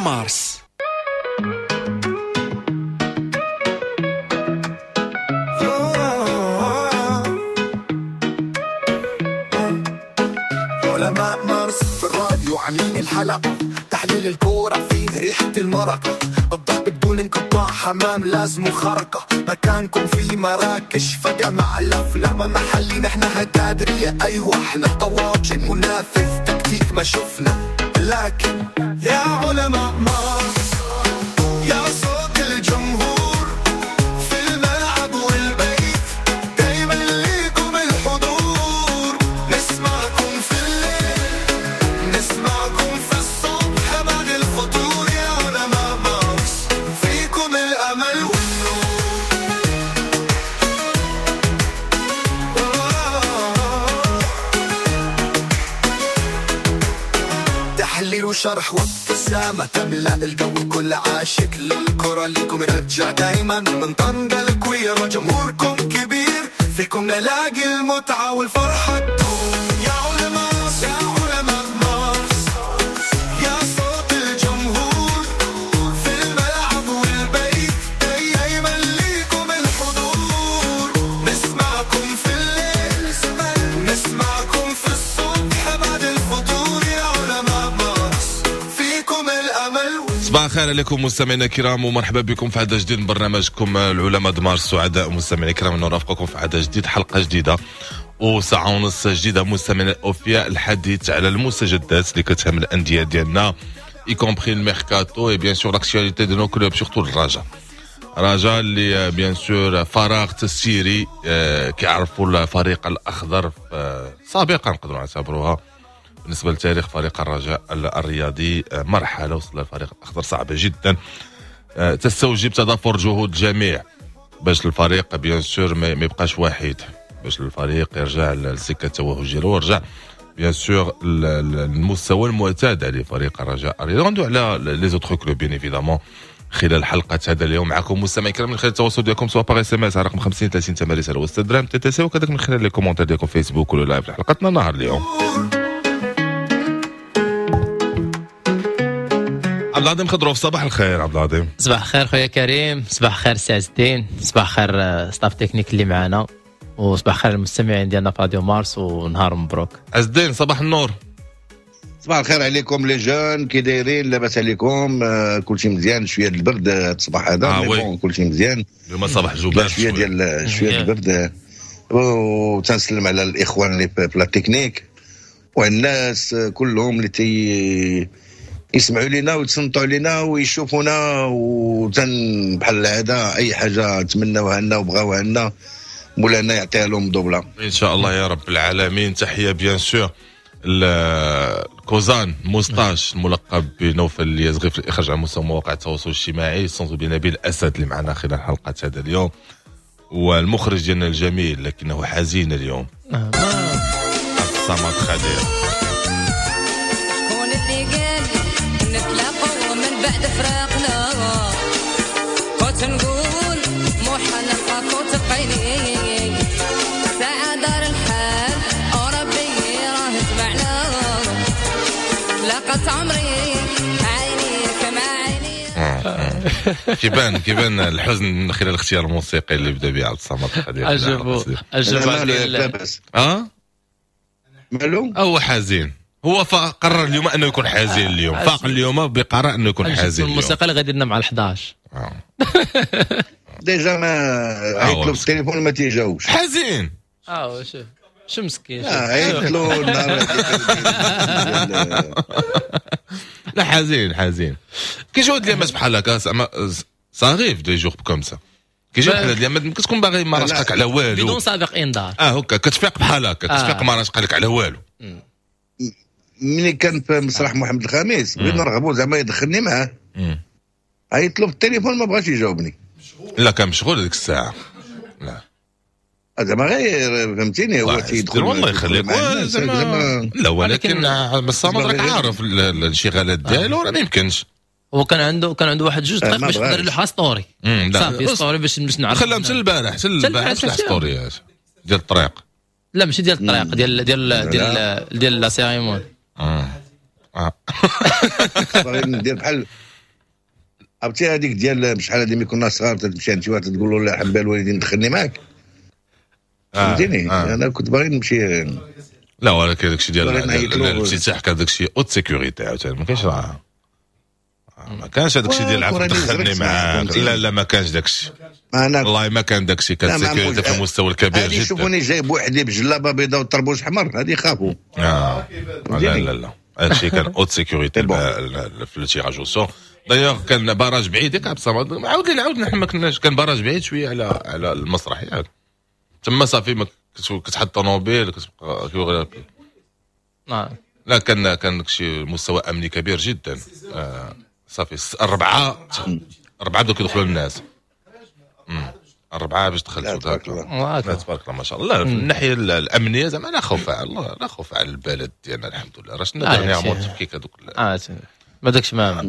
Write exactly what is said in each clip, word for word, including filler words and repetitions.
مارس. علماء مارس في الراديو عاملين الحلقة، تحليل الكورة فيه ريحة المرقة، الضرب بدون انقطاع، حمام لازم خرقة، مكانكم في مراكش فجأة مع الأفلام محلي، نحن هتادرية أيوة احنا طواجن منافذ تكتيك ما شفنا، لكن يا علماء مارس يا صوت الجمهور في الملعب والبيت، دايما ليكم الحضور، نسمعكم في الليل نسمعكم في الصبح بعد الفطور، يا علماء مارس فيكم الأمل والنور. تحليل وشرح وابتسامة تملأ الجو، كل عاشق للكرة ليكم رجع دايما من طنجة الكويرة، جمهوركم كبير فيكم نلاقي المتعة والفرحة تدوم. يا علماء يا علماء مارس يا صوت الجمهور في الملعب والبيت، دايما ليكم الحضور، نسمعكم في الليل نسمعكم في الصبح بعد الفطور، يا علماء مارس فيكم الأمل. صباح الخير عليكم مستمعينا الكرام، ومرحبا بكم في عدد جديد من برنامجكم العلماء د مارس. سعداء مستمعينا الكرام نرافقكم في عدد جديد، حلقة جديدة وساعة ونص جديدة مستمعينا الأوفياء، الحديث على المستجدات اللي كتهم الأندية ديالنا، y compris الميركاتو et bien sûr l'actualité de nos clubs، surtout الرجاء. الرجاء اللي bien sûr فراغ تسييري كيعرفوا الفريق الأخضر سابقا، نقدروا نعتبروها بالنسبة لتاريخ فريق الرجاء الرياضي مرحلة وصل الفريق الأخضر صعبة جدا، تستوجب تضافر جهود الجميع باش الفريق bien sûr ما يبقاش وحيد، باش الفريق يرجع للسكة التوهج ديالو ويرجع bien sûr المستوى المعتاد عليه فريق الرجاء الرياضي. غندوي على les autres clubs bien évidemment خلال حلقة هذا اليوم معكم مستمعين الكرام من خلال التواصل ديالكم سواء par SMS على رقم خمسين ثلاثين ثمانية رسالة وستة درهم TTC، وكذلك من خلال les commentaires ديالكم فيسبوك ولا live حلقتنا نهار اليوم. عبد العظيم خضروف، صباح الخير عبد العظيم. صباح الخير خويا كريم، صباح الخير سي عز الدين، صباح الخير staff technique اللي معنا، وصباح الخير المستمعين ديالنا في راديو مارس، ونهار مبروك. عز الدين صباح النور. صباح الخير عليكم les jeunes، كي دايرين؟ لاباس عليكم؟ آه كلشي مزيان؟ شوية البرد الصباح هذا، آه bon كلشي مزيان اليوم صباح جوبان شوية ديال شوية البرد، وتنسلم على الاخوان اللي في la technique والناس كلهم اللي تي يسمعوا لنا ويتصنتوا علينا ويشوفونا، وتن بحال العادة اي حاجة تمناوها لنا وبغاوها لنا مولانا يعطيها لهم دوبله ان شاء الله يا رب العالمين. تحية bien sûr الكوزان moustache الملقب بنوفل اليزغي في الاخراج على مستوى مواقع التواصل الاجتماعي، sans oublier نبيل اسد اللي معنا خلال حلقة هذا اليوم، والمخرج ديالنا الجميل لكنه حزين اليوم عبد الصمد خدير. شكون اللي قال نتلاقوا من بعد فراقنا، كنت نقول محال نلقاك وتلقيني، ساعة دار الحال وربي راه جمعنا، لقت عمري عينيك مع عيني. كيبان كيبان الحزن من خلال الاختيار الموسيقي اللي بدا به عبد الصمد خدير. عجبو عجبو اه مالو هو حزين، هو قرر اليوم انه يكون حزين اليوم، فاق اليوم بقرار انه يكون حزين. الموسيقى اللي غادي لنا مع الحداش آه. déjà ما عيط له بالتليفون ما تيجاوبش حزين. اه شوف شو مسكين، عيط له النهار. لا حزين حزين كيجيو هاد اليامات بحال هكا، زعما ça arrive des jours comme ça، كيجيو بحال هاد اليامات كتكون باغي ما راشقك على والو بدون سابق انذار. اه هكا كتفيق بحال هكا، كتفيق ما راشقك على والو. ملي كان في مسرح محمد الخامس بغيت نرغبو زعما يدخلني معاه، عيط له بالتليفون ما بغاش يجاوبني. لا كان مشغول هذيك الساعة. لا زعما غير فهمتيني، هو تيدخل والله يخليك زعما. لا ولكن الصمد راك عارف الانشغالات ديالو راه ما يمكنش. هو كان عنده كان عنده واحد جوج دقائق باش يقدر يلوح story، صافي story باش باش نعرف. خلاهم حتى البارح، حتى البارح ستوريات ديال الطريق. لا ماشي ديال الطريق، ديال ديال ديال ديال la cérémonie. اه باغي ندير بحال عرفتي هذيك ديال شحال هذه ملي كنا صغار تمشي عند شي واحد تقول له لا حبا الوالدين دخلني معاك، فهمتيني؟ آه. انا كنت باغي نمشي. لا ولكن داكشي ديال الافتتاح كان داكشي haute sécurité عاوتاني، ما كاينش راه ما كانش هذاك الشيء ديال العفو دخلني معاك، لا لا ما كانش داك الشيء، والله ما كان داك الشيء، كان sécurité في المستوى الكبير جدا. يشوفوني جاي بوحدي بجلابه بيضاء والطربوش حمر هذه خافوا. آه. لا لا لا هذا الشيء كان haute sécurité في ال tirage au sort. d'ailleurs كان barrage بعيد ياك عبد الصمد، عاود لي عاود نحن ما كناش، كان barrage بعيد شوية على على المسرح ياك تما صافي ما كتحط طوموبيل كتبقى. لا كان كان شي مستوى امني كبير جدا. آه صافي الربعه الربعه بداو كيدخلوا الناس، الربعه باش دخلت. تبارك الله تبارك الله ما شاء الله. من الناحية الامنية زعما لا خوف على الله، لا خوف على البلد ديالنا الحمد لله. راه شنو dernièrement تفكيك هذوك اه ما داكش ما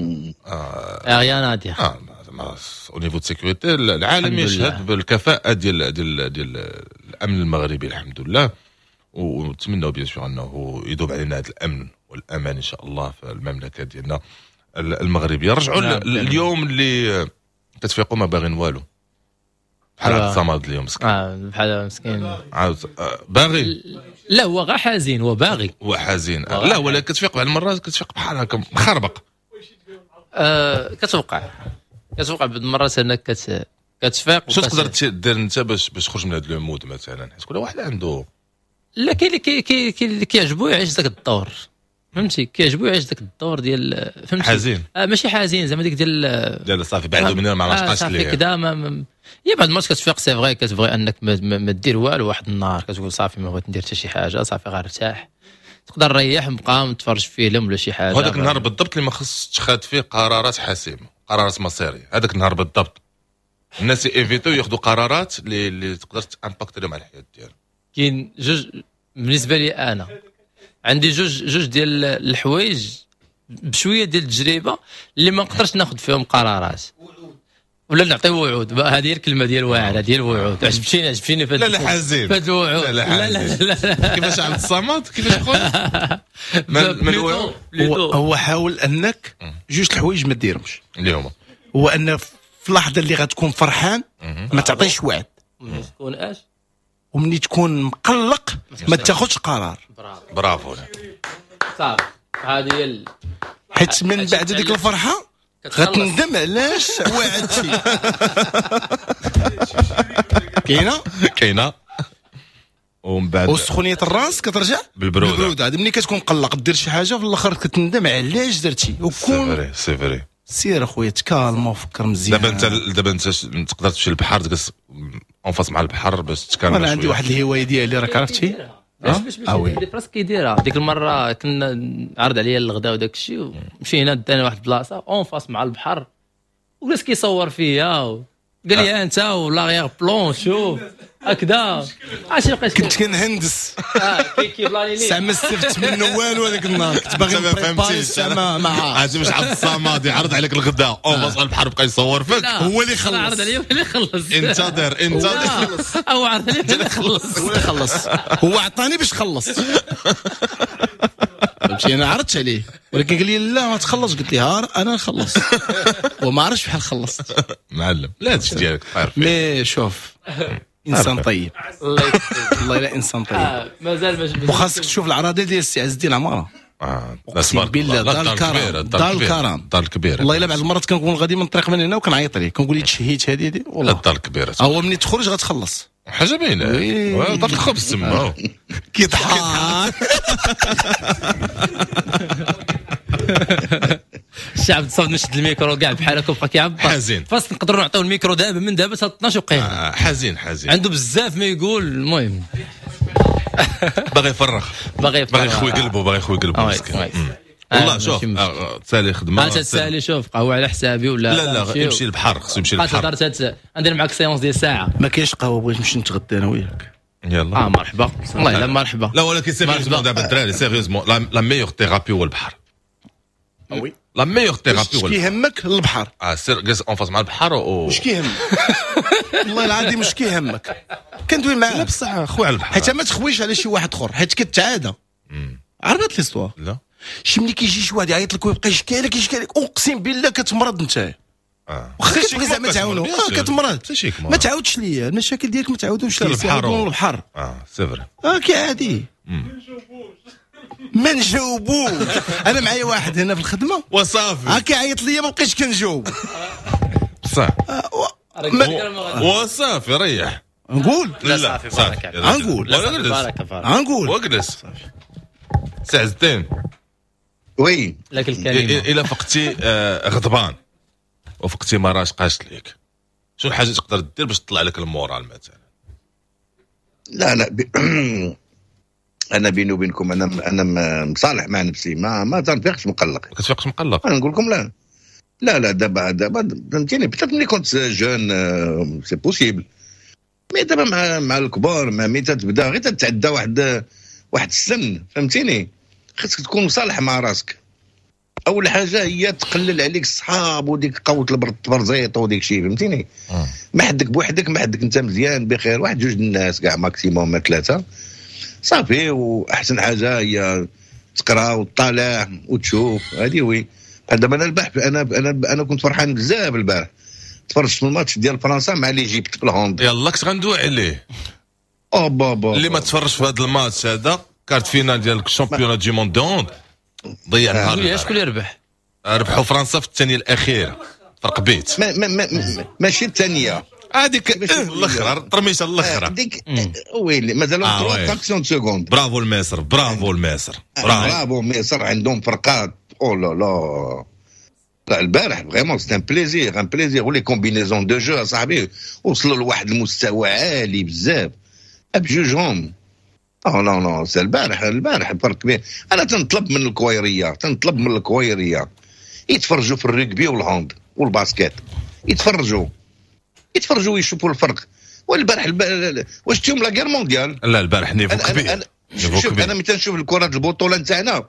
rien à dire. اه زعما au niveau de sécurité العالم يشهد بالكفاءه ديال ديال ديال الامن المغربي الحمد لله، ونتمنوا bien sûr انه يدوم علينا هذا الامن والامان ان شاء الله في المملكة ديالنا المغربية. رجعوا اليوم اللي كتفيقوا ما باغين والو بحال عبد الصمد اليوم مسكين. اه بحال مسكين عاود باغي. لا هو غا حزين، هو باغي، هو حزين. لا ولا كتفيق بعض المرات كتفيق بحال هكا مخربق. آه كتوقع كتوقع بعض المرات انك كت كتفيق. شنو تقدر دير انت باش باش تخرج من هذا le mode مثلا؟ حيت كل واحد عنده. لا كاين اللي كي اللي كيعجبو يعيش ذاك الدور، فهمتي؟ كيعجبو يعيش ذاك الدور ديال فهمتي حزين. آه ماشي حزين زعما ديك ديال ديال صافي بعدو منها ما عرفتش ليه صافي كذا. ما يا بعد الماتش كتفيق c'est vrai كتبغي انك ما, ما, ما دير والو واحد النهار، كتقول صافي ما بغيت ندير حتى شي حاجة، صافي غير ارتاح، تقدر نريح نبقى نتفرج في فيلم ولا شي حاجة. وهذاك النهار بالضبط اللي ما خصش تخاد فيه قرارات حاسمة، قرارات مصيرية. هذاك النهار بالضبط الناس éviter ياخذوا قرارات اللي, اللي تقدر ت impacter لهم على الحياة ديالهم. كاين جوج بالنسبة لي انا عندي جوج جوج ديال الحوايج بشوية ديال التجربة اللي ما نقدرش ناخذ فيهم قرارات ولا نعطي وعود. هذه هي الكلمة ديال واعرة ديال وعود. عجبتيني عجبتيني لا لا حزين في الوعود. لا لا لا, لا, لا. كيفاش عبد الصمد كيفاش خويا من من هو, هو حاول انك جوج الحوايج ما ديرهمش اللي هما هو ان في اللحظة اللي غتكون فرحان ما تعطيش وعد، تكون اش ومني تكون مقلق ما تاخذش قرار. برافو صافي هذه هي، حيت من بعد ديك الفرحة غتندم علاش وعدتي. كاينه كاينه ومن بعد وسخونيه الراس كترجع بالبروده. بالبروده ملي كتكون مقلق دير شي حاجة في الاخر كتندم علاش درتي. وكون c'est vrai c'est vrai سير اخويا تكالما وفكر مزيان. دابا انت دابا انت تقدر تمشي للبحر تجلس en face مع البحر باش تكالما. انا عندي واحد الهواية ديالي راك عرفتي باش باش باش براسك كيديرها. ديك المرة كنا عرض عليا الغداء وداك الشيء ومشينا دانا واحد البلاصة en face مع البحر وجلس كيصور فيا قال لي انت و l'arrière-plan شوف هكذا عرفتي بقيت كنت كنهندس اه كي بلاني لي ساعة ما استفدت منه والو هذاك النهار كنت باغي ن préparer ساعة ما عرفتي واش عبد الصمد يعرض عليك الغداء en face البحر بقى يصور فيك هو اللي خلص عرض عليا هو اللي خلص انتظر انتظر او عرض عليا هو اللي خلص هو اللي خلص هو عطاني باش خلص فهمتي انا عرضت عليه ولكن قال لي لا ما تخلص قلت له انا نخلص وما عرفتش بحال خلصت معلم لا هادشي ديالك طاير mais شوف انسان طيب الله الا انسان طيب مازال وخاصك تشوف العراضه ديال السي عز الدين العمارة اه اقسم بالله دار الكرم دار الكرم دار الكبيرة والله الا بعض المرات كنكون غادي من الطريق من هنا وكنعيط ليه كنقول ليه تشهيت هذه هذه والله الدار الكبيرة هو ملي تخرج غتخلص حاجة باينة دار الخبز تما كيضحك الشعب تصاب نشد الميكرو كاع بحال هكا وبقى كيعبر حزين فاس نقدروا نعطيو الميكرو دابا من دابا حتى اثناش وقيله آه حزين حزين عنده بزاف ما يقول المهم باغي يفرغ باغي يفرغ باغي يخوي قلبه باغي يخوي قلبه مسكين والله شوف تسالي خدمة تسالي شوف قهوة على حسابي ولا لا لا يمشي للبحر خصو يمشي للبحر تقدر ندير معاك séance ديال ساعة ما كاينش قهوة بغيت نمشي نتغدى انا وياك يلا اه مرحبا والله الا مرحبا لا ولكن sérieusement دابا الدراري sérieusement la meilleure thérapie هو البحر oui la meilleure thérapie واش كيهمك البحر اه سير جلس en face مع البحر و واش كيهمك والله العظيم واش كيهمك كندوي معاه لا بصح خويا على البحر حيت ما تخويش على شي واحد اخر حيت كتعادى عرفت l'histoire لا شي ملي كيجي شي واحد يعيط لك ويبقى يشكي لك يشكي لك اقسم بالله كتمرض انت واخا كتبغي زعما تعاونو اه كتمرض، ما تعاودش ليا المشاكل ديالك، ما تعاودوش ليا البحر البحر. اه c'est vrai. اه كي عادي ما نجاوبوش. انا معايا واحد هنا في الخدمة وصافي ها كيعيط ليا ما بقيتش كنجاوب. بصح وصافي ريح. نقول لا صافي بارك غنقول بارك بارك غنقول واجلس سي عز الدين. oui لك الكلمة. الا فقتي غضبان وفقتي ما راشقاش ليك، شنو الحاجة تقدر دير باش تطلع لك ال moral مثلا؟ لا لا ب... انا بيني وبينكم انا انا مصالح مع نفسي، ما ما تنفيقش مقلق. ما كتفيقش مقلق؟ انا نقول لكم لا لا لا دابا دابا فهمتيني، peut-être ملي كنت jeune c'est possible، mais دابا مع مع الكبار مع مي تتبدا غير تتعدى واحد واحد السن فهمتيني، خاصك تكون مصالح مع راسك. اول حاجة هي تقلل عليك الصحاب وديك قوة التبرزيط وديك الشيء فهمتيني. ما حدك بوحدك، ما حدك انت مزيان بخير، واحد جوج الناس كاع maximum ما ثلاثة صافي. واحسن حاجة هي تقرا وتطالع وتشوف هذه. oui دابا انا البارح انا انا انا كنت فرحان بزاف البارح، تفرجت في الماتش ديال فرنسا مع l'Égypte في ال hand. يلا كنت غندوي عليه. او بابا اللي ما تفرجش في هذا الماتش هذا quart de finale ديال ال championnat du monde hand ضيع نهار. شكون اللي ربح؟ ربحوا فرنسا في الثانية الاخيرة فرق بيت. ما ما ما ماشي الثانية هذيك الاخرى الترميشه الاخرى ديك ويلي مازالوا ثلاثة fractions seconde. برافو المصر، برافو المصر، برافو مصر عندهم فرقات. oh là là لا البارح vraiment c'est un plaisir un plaisir. و les combinaisons de jeu اصاحبي وصلوا لواحد المستوى عالي بزاف بجوجهم. oh non non c'est البارح البارح فرق كبير. انا تنطلب من الكويريه، تنطلب من الكويريه يتفرجوا في ال rugby وال hand وال basket، يتفرجوا يتفرجوا ويشوفوا الفرق. والبارح الب... واش تيهم la guerre mondiale؟ لا البارح niveau كبير. أنا شوف انا ملي تنشوف الكره البطولة نتاعنا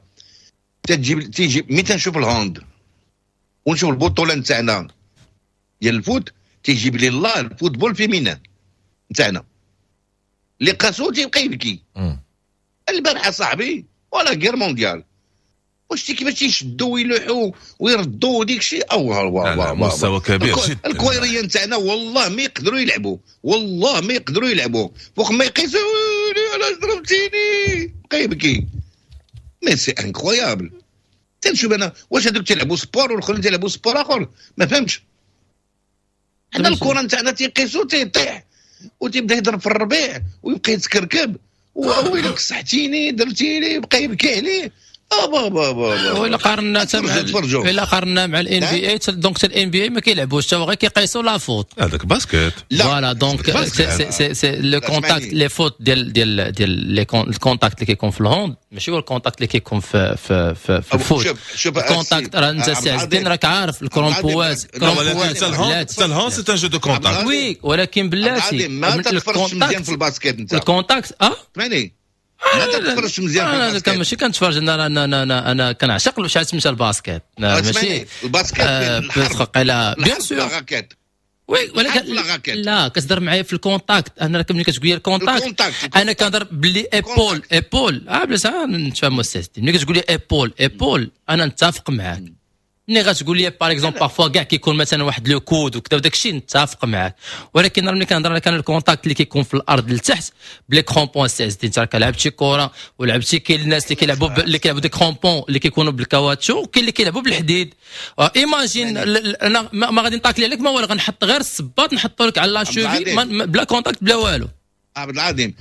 تجيب تيجي ملي تنشوف ال hand ونشوف البطولة نتاعنا ديال ال foot تيجيب لي الله ال football féminin نتاعنا اللي قاسو تيبقى يبكي. البارحة صاحبي ولا guerre mondiale، واش كيفاش تيشدوا ويلوحوا ويردوا وديك الشيء. او مستوى كبير جدا. الكويريه نتاعنا والله ما يقدروا يلعبوا، والله ما يقدروا يلعبوا فوق ما يقيسوا علاش ضربتيني بقى يبكي. mais c'est incroyable. تنشوف انا واش هذوك تيلعبوا sport والاخرين تيلعبوا sport اخر، ما فهمتش. حنا الكره نتاعنا تيقيسوا تيطيح وتيبدا يضرب في الربيع ويبقى يتكركب ويلك صحتيني درتيني يبقى يبكي عليه. اه بابا بابا. ولا قارنا مع الا قارنا مع ال NBA، donc حتى ال NBA ما كيلعبوش حتى غير كيقيسوا la faute. هذاك basket. voilà donc c'est c'est c'est le contact les fautes ديال ديال ديال les ال contact اللي كيكون في ال hand ماشي هو ال contact اللي كيكون في في في, في ال foot. ال contact راه انت سي عز الدين راك عارف الكرومبوات. ولكن حتى ال hand c'est un jeu de contact. oui ولكن بلاتي ما تتفرجش مزيان في ال basket انت. ال contact اه اسمعني ما تتفرجش مزيان في ال basket. انا ماشي كنتفرج، انا انا انا انا كنعشق شحال سميتها ال basket. ماشي ال basket الحرب bien sûr oui، ولكن لا كتهضر معايا في ال contact. انا ملي كتقول لي ال contact انا كنهضر بلي épaule épaule اه بلا نتفاهموا السي. ملي كتقول لي épaule épaule انا نتفق معاك. ملي غتقول لي par exemple parfois كاع كيكون مثلا واحد le coude وكذا وداك الشيء نتفق معاك، ولكن ملي كنهضر لك انا ال contact اللي كيكون في الارض لتحت ب les crampons سي عز الدين، انت راك لعبتي كره ولعبتي، كاين الناس اللي كيلعبوا اللي كيلعبوا des crampons اللي كيكونوا بالكاواتشو وكاين اللي كيلعبوا بالحديد. imagine انا ما غادي نطاكلي عليك ما والو، غنحط غير الصباط نحطو لك على la cheville بلا contact بلا والو. عبد العظيم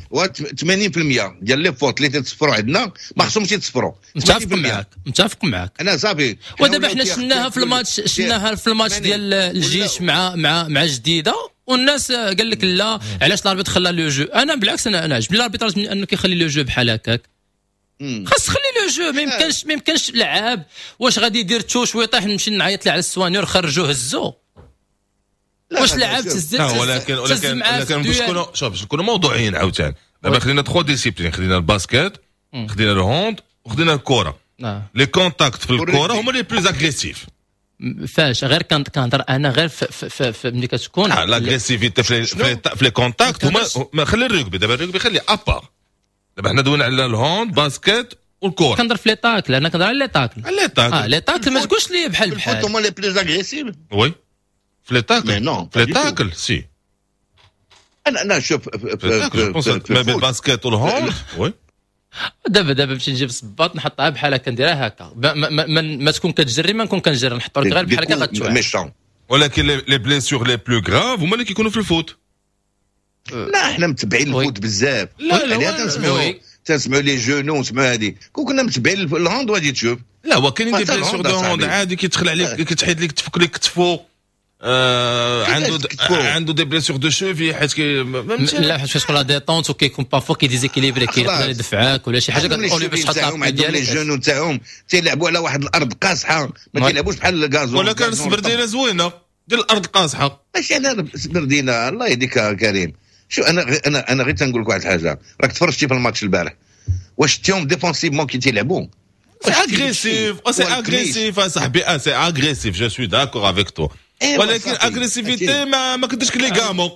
ثمانين بالمية ديال les fautes اللي تتصفروا عندنا ما خصهمش يتصفروا. متفق معاك متفق معاك انا صافي. ودابا حنا شفناها في الماتش، شفناها في الماتش ديال الجيش مع مع مع جديدة، والناس قال لك لا علاش l'arbitre خلى le jeu. انا بالعكس انا انا عجبني l'arbitrage من انه كيخلي le jeu بحال هكاك. خاص خلي le jeu، ما يمكنش ما يمكنش لعاب واش غادي يدير touche ويطيح نمشي نعيط له على ال soigneur خرجوه هزوه. واش لعب تهز؟ ولكن ولكن ولكن باش نكونوا شوف باش نكونوا موضوعيين عاوتاني، دابا خلينا trois disciplines، خلينا ال basket، خدينا ال hand، وخدينا الكره. les contacts في الكره هما les plus agressifs. فاش غير كنهضر انا غير في في ملي كتكون l'agressivité في في les contacts هما. خلي الرugby دابا، الرugby خلي à part. دابا حنا دوينا على ال hand basket والكره. كنهضر في les tacles، انا كنهضر على les tacles. على les tacles اه les tacles ما تقولش لي بحال بحال هما les plus agressifs. oui في les tacles. mais non، في les tacles si. انا انا شوف، ما بين ال basket وال hand، oui. دابا دابا باش نجيب صباط نحطها بحال هكا، نديرها هكا، ما, ما, ما, ما تكون كتجري ما نكون كنجري، نحط لك غير بحال هكا غتوع. ولكن les blessures les plus graves هما اللي كيكونوا في ال foot. لا، احنا متبعين ال foot بزاف. لا لا، تنسمعوا تنسمعوا les genoux، نسمعوا هذه. كون كنا متبعين ال hand وغادي تشوف. لا، هو كاينين des blessures de hand عادي، كيدخل عليك، كتحيد لك، تفك لك كتفو، آه عنده عنده des blessures de cheville حيت كي لا، حيت كتكون la détente وكيكون parfois كي déséquilibré، كيقدر يدفعك ولا شي حاجه. كتقول باش تحط ديالك. les genoux تاعهم تيلعبوا على واحد الارض قاصحه، ما تيلعبوش بحال ال gazon. ولكن السبردينه زوينة ديال الارض قاصحه. ماشي انا سبردينه، الله يهديك كريم. شو انا انا انا غير تنقول لك واحد الحاجه، راك تفرجتي في الماتش البارح، واش شتيهم défensivement كي تيلعبوا؟ c'est agressif، c'est agressif اصاحبي، c'est agressif، je suis d'accord avec toi، ولكن agressivité ما ما كديرش ligaments.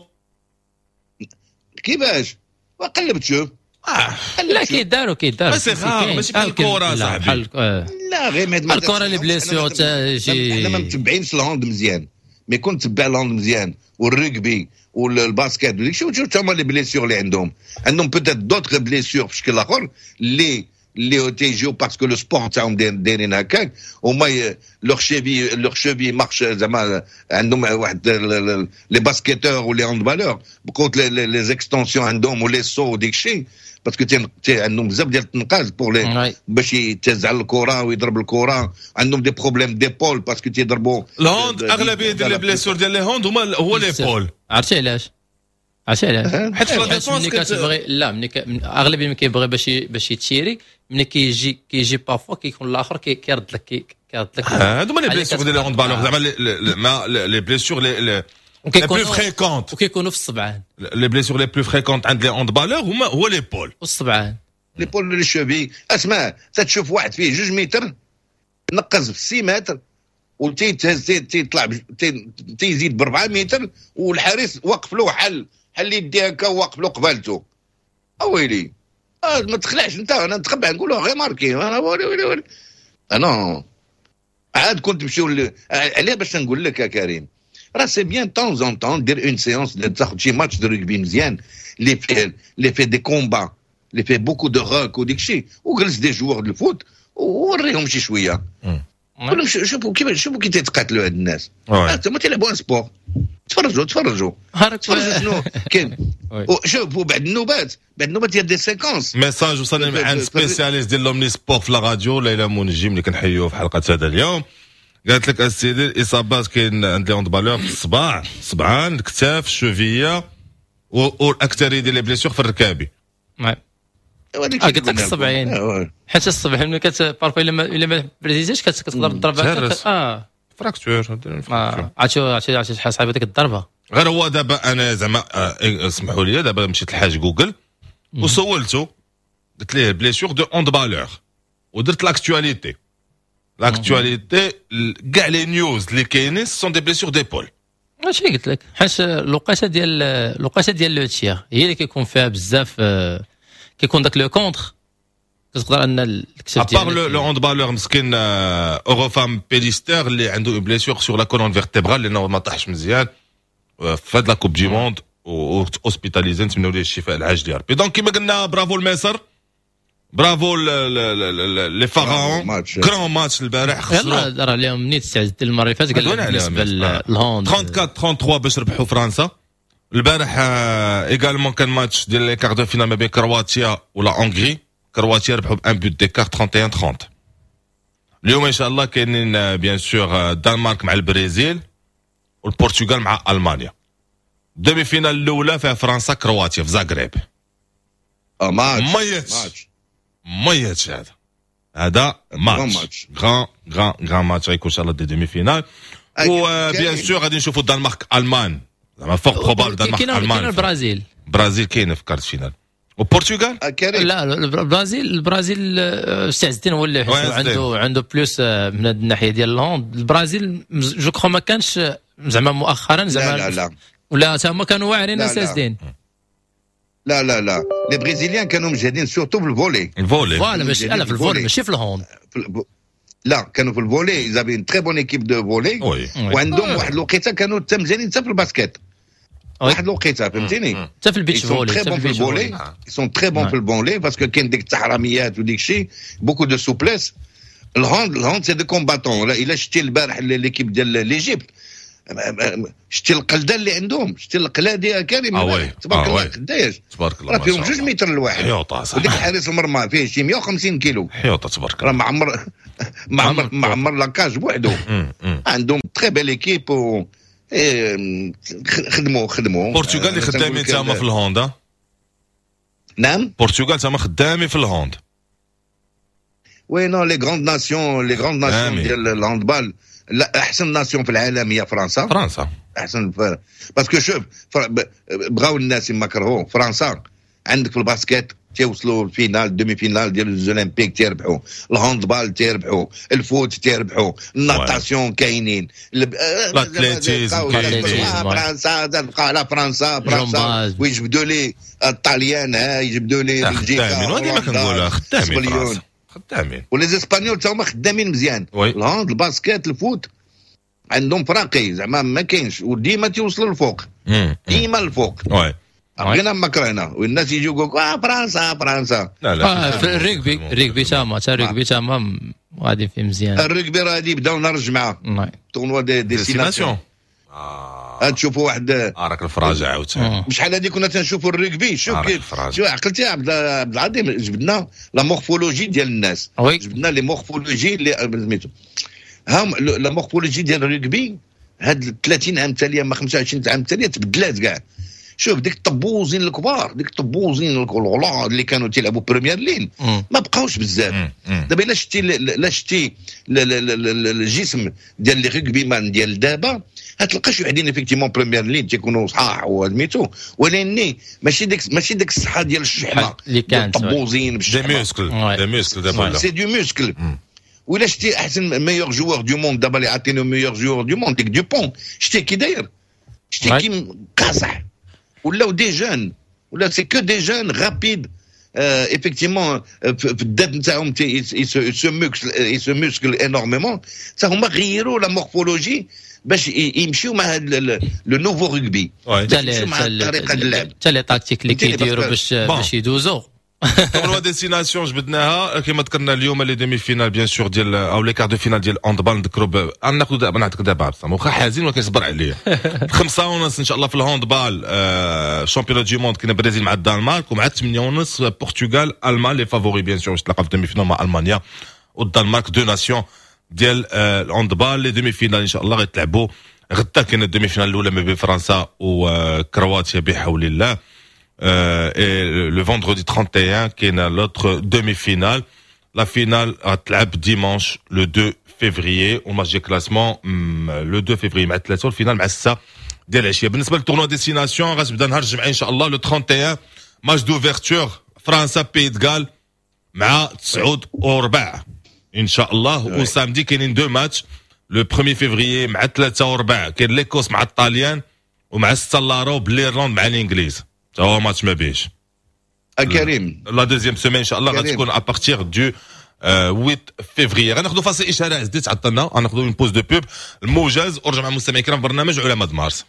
كيفاش؟ وقلب تشوف. آه. لا، كيداروا كيداروا. c'est rare، ماشي بحال الكره صاحبي. لا، غير ما الكره les blessures تجي. حنا ما متبعينش ال hand مزيان، mais كنت تبع ال hand مزيان وال rugby وال basket وديك الشيء، وتشوف هما les blessures اللي عندهم. عندهم peut-être d'autres blessures في شكل اخر اللي اللي تيجيو parce que le sport تاعهم دايرين هكاك. هما leur cheville leur cheville marche، زعما عندهم واحد les basketteurs و les handballeurs بقوت les extensions عندهم و les sauts وديك الشيء، parce que عندهم بزاف ديال التنقاز pour les باش يتهز على الكره ويضرب الكره. عندهم des problèmes d'épaule parce que تيضربوا. ال hand، اغلبية ديال les blessures ديال les hand هما هو l'épaule. عرفتي علاش؟ عرفتي علاش؟ حيت في la défense ملي كتبغي، لا، ملي اغلبية ملي كيبغي باش باش يتيري، ملي كيجي كيجي parfois كيكون الاخر كيرد لك كيرد لك. هادو هما les blessures ديال les handballeurs، زعما ما les blessures les les plus fréquentes. وكيكونوا في الصبعان. les blessures les plus fréquentes عند les handballeurs هما هو l'épaule. والصبعان. l'épaule، les chevilles. اسمع، تتشوف واحد فيه جوج متر نقز في ستة متر وتيتهز، تيطلع، تيزيد ب أربعة متر، والحارس وقف له، حل حل يدي هكا وواقف له قبالته. اويلي، آه ما تخلعش انت، انا نتخبع نقول غير marqué انا. ويلي ويلي ويلي، انا عاد كنت نمشيو عليه. باش نقول لك يا كريم، راه c'est bien temps en temps دير une séance، تاخذ شي match de rugby مزيان اللي فيه اللي فيه des combats، اللي فيه beaucoup de rucks وديك الشيء، وجلس des joueurs de foot ووريهم شي شويه، قول لهم شوفوا كيف شوفوا كي تيتقاتلوا هاد الناس، هما تيلعبوا un sport. تفرجوا تفرجوا تفرجوا شنو كاين. شوفوا بعد النوبات، بعد النوبات ديال des séquences. message وصلني من عند spécialiste ديال l'omnisport في la radio، ليلى منجم، اللي كنحيوه في حلقة هذا اليوم. قالت لك السيدي، الاصابات كاين عند les handballeurs في الصباع، الصبعان، الكتاف، ال cheville، والاكثريه ديال les blessures في الركابي. آه، قلت لك الصبعين، حيت الصبع ملي كت parfois الا ما الا ما بريزيتيش كتقدر تضرب. اه fracture. عرفتي عرفتي عرفتي شحال صعيبة ديك الضربه. غير هو دابا انا زعما آه، اسمحوا لي، دابا مشيت لحاج جوجل وسولته، قلت ليه blessures de handballeur، ودرت l'actualité l'actualité كاع les news اللي كاينين sont des blessures d'épaule. ماشي قلت لك، حيت الوقيته ديال الوقيته ديال le tir هي اللي كيكون فيها بزاف، آه، كيكون داك le contre، كتقدر ان الكتف ديالك. à part le handballeur مسكين اوروفام بيليستر اللي عنده une blessure sur la colonne vertébrale، لانه ما طاحش مزيان في هاد la Coupe du Monde و hospitalisé، نتمنوا ليه الشفاء العاجل يا ربي. donc كيما قلنا، برافو لمصر، bravo les Pharaons، grand match البارح. خسروا. يلا راه اليوم نيت استعدت المرة اللي فاتت، قال بالنسبة لل hand أربعة وثلاثين ثلاثة وثلاثين باش ربحوا فرنسا البارح. également كان ماتش ديال les quarts de finale ما بين كرواتيا و la Hongrie، كرواتيا ربحوا ب un but d'écart، واحد وثلاثين ثلاثين. اليوم ان شاء الله كاينين bien sûr الدنمارك مع البرازيل والبرتغال مع المانيا. demi-finale الاولى فيها فرنسا كرواتيا في زاغريب. اه ماتش. ميت ميت هذا هذا match grand grand grand match غيكون ان شاء الله des demi-finales، و bien sûr غادي نشوفوا الدنمارك المان، زعما fort probable الدنمارك المان. كاين البرازيل. البرازيل كاينه في quart de finale والبرتغال. لا، البرازيل البرازيل السي عز الدين هو اللي عنده عنده plus من هذه الناحية ديال ال hand. البرازيل je crois ما كانش زعما مؤخرا زعما. لا لا. ولا هما كانوا واعرين سي عز الدين. لا لا لا، les Brésiliens كانوا مجهدين surtout في ال volley. ال volley. voilà، ماشي لا في ال volley، ماشي في ال hand. لا كانوا في ال volley، ils avaient une très bonne équipe de volley، وعندهم واحد الوقيته كانوا حتى مزيانين حتى في ال basket واحد الوقيته، فهمتيني؟ حتى في ال beach volley، حتى في ال volley sont très bons في ال volley parce que كاين ديك التحرميات وديك الشيء، beaucoup de souplesse. ال hand ال hand c'est des combattants. الا شتي البارح l'équipe ديال l'Égypte، شتي القلده اللي عندهم، شتي القلاديه كريم تبارك الله قداش تبارك الله، راه فيهم جوج متر الواحد حيوطه صح، وديك حارس المرمى فيه شي مية وخمسين كيلو حيوطه تبارك الله، راه معمر معمر معمر la cage بوحدو. عندهم très belle équipe و خدموا خدموا. البرتغال اللي خدامين تما في ال hand. نعم البرتغال تما خدامين في ال hand. oui non les grandes nations، les grandes nations ديال ال handball، لا احسن nation في العالم هي فرنسا. فرنسا احسن ف... parce que شوف فر... بغاو الناس ما كرهوا فرنسا. عندك في ال basket تيوصلوا ال finale demi-finale ديال les olympiques تيربحوا، ال handball تيربحوا، ال foot تيربحوا، ال natation كاينين، l'athlétisme كاينين. فرنسا تبقى على فرنسا فرنسا ويجبدوا لي الطاليان، ها يجبدوا لي بلجيكا، وهذه ما كنقولها خدامين فرنسا خدامين، و les Espagnols تا هما خدامين مزيان. ال hand ال basket ال foot عندهم فراقي زعما ما كاينش، وديما تيوصلوا للفوق، ديما الفوق. oui بغينا ما كرهنا والناس يجيو يقولوا اه فرنسا فرنسا. لا لا في ال rugby ال rugby تما حتى الريغبي تما غادي فيه مزيان. الريغبي راه غادي يبداو نهار الجمعة tournoi des des six nations. تشوفوا واحد راك الفراجه عاوتاني. شحال هذه كنا تنشوفوا الريغبي. شوف كيف شوف عقلتي يا عبد العظيم، جبدنا la morphologie ديال الناس، جبدنا les morphologies اللي سميتو هم la morphologie ديال الريغبي هاد ثلاثين عام تاليه ما خمسة وعشرين عام تاليه تبدلات كاع. شوف ديك الطبوزين الكبار، ديك الطبوزين الغلاظ اللي كانوا تيلعبوا première ligne ما بقاوش بزاف. دابا الا شتي لا شتي الجسم ديال les rugbymen ديال دابا هتلقى شي وحدين effectivement première ligne تيكونوا صحاح وسميتو، ولكن ماشي ديك ماشي ديك الصحة ديال الشحمه اللي كانت الطبوزين des muscles des muscles دابا c'est du muscle. ولا شتي احسن meilleur joueur du monde دابا اللي عطينو meilleur joueur du monde ديك دوبون، شتي كي داير، شتي كي قاصح. ولاو des jeunes، ولا c'est que des jeunes rapides effectivement في الذات نتاعهم se musclent se musclent énormément. حتى هما غيروا la morphologie باش يمشيو مع هذا le nouveau rugby، يمشيو مع الطريقة ديال اللعب، حتى les tactiques اللي كيديروا باش باش يدوزوا. tournoi des six nations جبدناها كما ذكرنا اليوم les demi-finales bien sûr ديال او les quarts de finale ديال handball. نذكروا ناخذ دابا نعطيك دابا عبد الصمد واخا حزين ولكن صبر عليا. خمسة ونص ان شاء الله في ال handball championnat du monde كاين البرازيل مع الدنمارك، ومع ثمانية ونص البرتغال المان les favoris bien sûr باش تلاقى في demi-finale مع المانيا والدنمارك، deux nations ديال ال handball. les demi-finales ان شاء الله غيتلعبوا غدا. كاين ال demi-finale الاولى ما بين فرنسا وكرواتيا بحول الله. Euh, et le vendredi trente et un كاين l'autre demi-finale. La finale غتلعب dimanche le deux février و match de classement le deux février مع ثلاثة، وال finale مع الستة ديال العشية. بالنسبة لل tournoi des six nations غتبدا نهار الجمعة ان شاء الله le trente et un match d'ouverture فرنسا Pays de Galles مع تسعود وربع ان شاء الله. و samedi كاينين deux matchs le premier février مع ثلاثة وربع كاين l'Écosse مع الطاليان، ومع ستة لاروب l'Irlande مع الانجليز. تا هو ماتش ما بيش كريم. la deuxième semaine ان شاء الله غتكون à partir du huit février. غناخذوا فاصل اشارة عزيزي تعطلنا، غناخذوا une pause de pub الموجز ورجع مع المستمعين الكرام برنامج علماء مارس.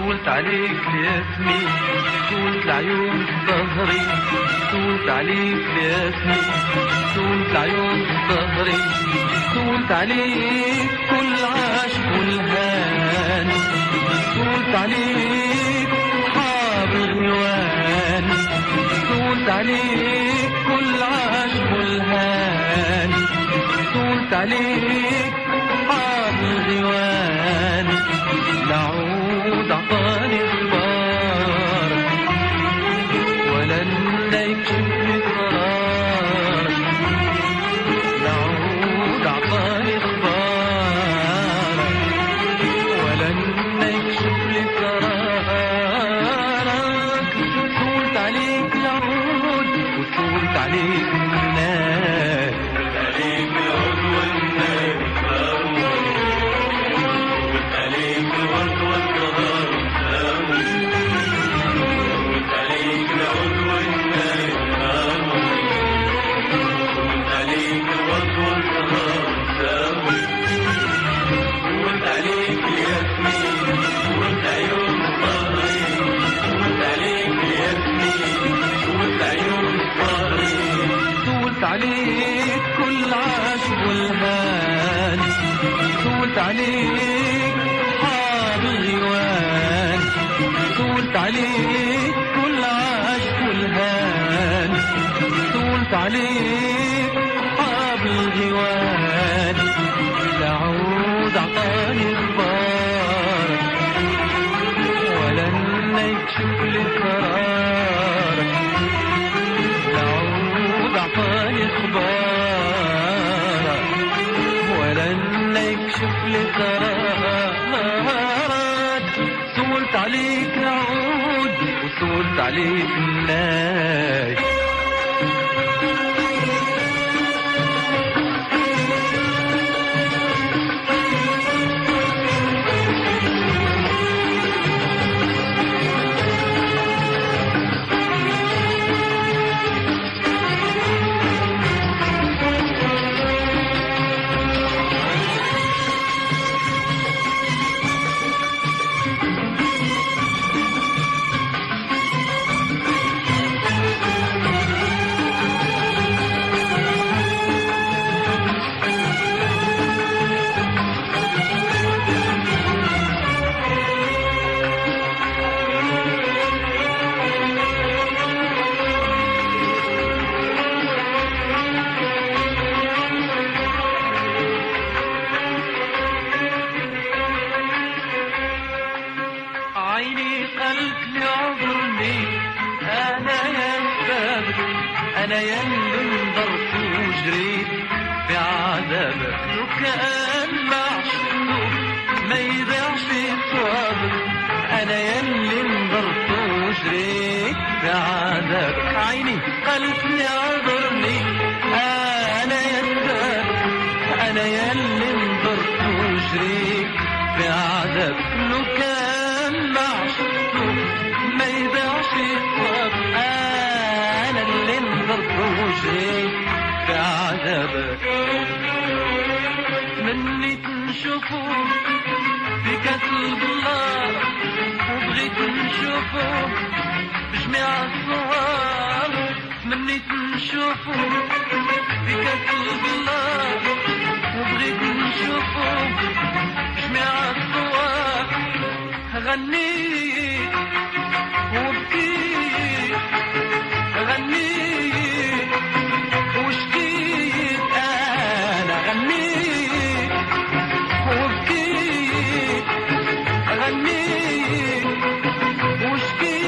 سولت عليك الياسمين، سولت العيون ظهري، سولت عليك الياسمين، سولت العيون ظهري، سولت عليك كل عاشق والهان، سولت عليك صحاب الغيوان، سولت عليك كل عاشق والهان، سولت عليك صحاب الغيوان. لعود عطاني اخبار ولا يكشف لي قرار، لعود عطاني اخبار ولا يكشف لي قرارك. سولت عليك العود وسولت عليك الناس، سولت عليك العود والناس، سولت عليك الورد والزهر، سولت عليك العود والناس، سولت عليك الورد والزهر، سولت عليك الياسمين، سولت عيون الصهري، سولت عليك الياسمين، سولت عيون الصهري، سولت عليك كل عاشق والهان، سولت عليك صحاب الغيوان، سولت عليك كل عاشق والهان، سولت عليك صحاب الغيوان. لعود عطاني اخبارك ولا يكشف لي قرارك، لعود عطاني اخبارك ولا يكشف لي قرارك. سولت عليك العود وسولت عليك الناس. أنا يلي انضرت وجريت في عذابك، لو كان معشوق ما يضيعش صوابك، أنا يلي انضرت وجريت في عذابك. عيني قالت لي اعذرني أنا يا سبابك، أنا يلي انضرت وجريت في عذابك، لو كان معشوق ما يضيعش صوابك، أنا اللي انضرت وجريت في عذابك. تمنيت نشوفو في كاس البلار، وبغيت نشوفو بجميع الصور، تمنيت نشوفو في كاس البلار، وبغيت نشوفو بجميع الصور. غنيت وبكيت، غنيت وشكيت، أنا غنيت وبكيت، غنيت وشكيت.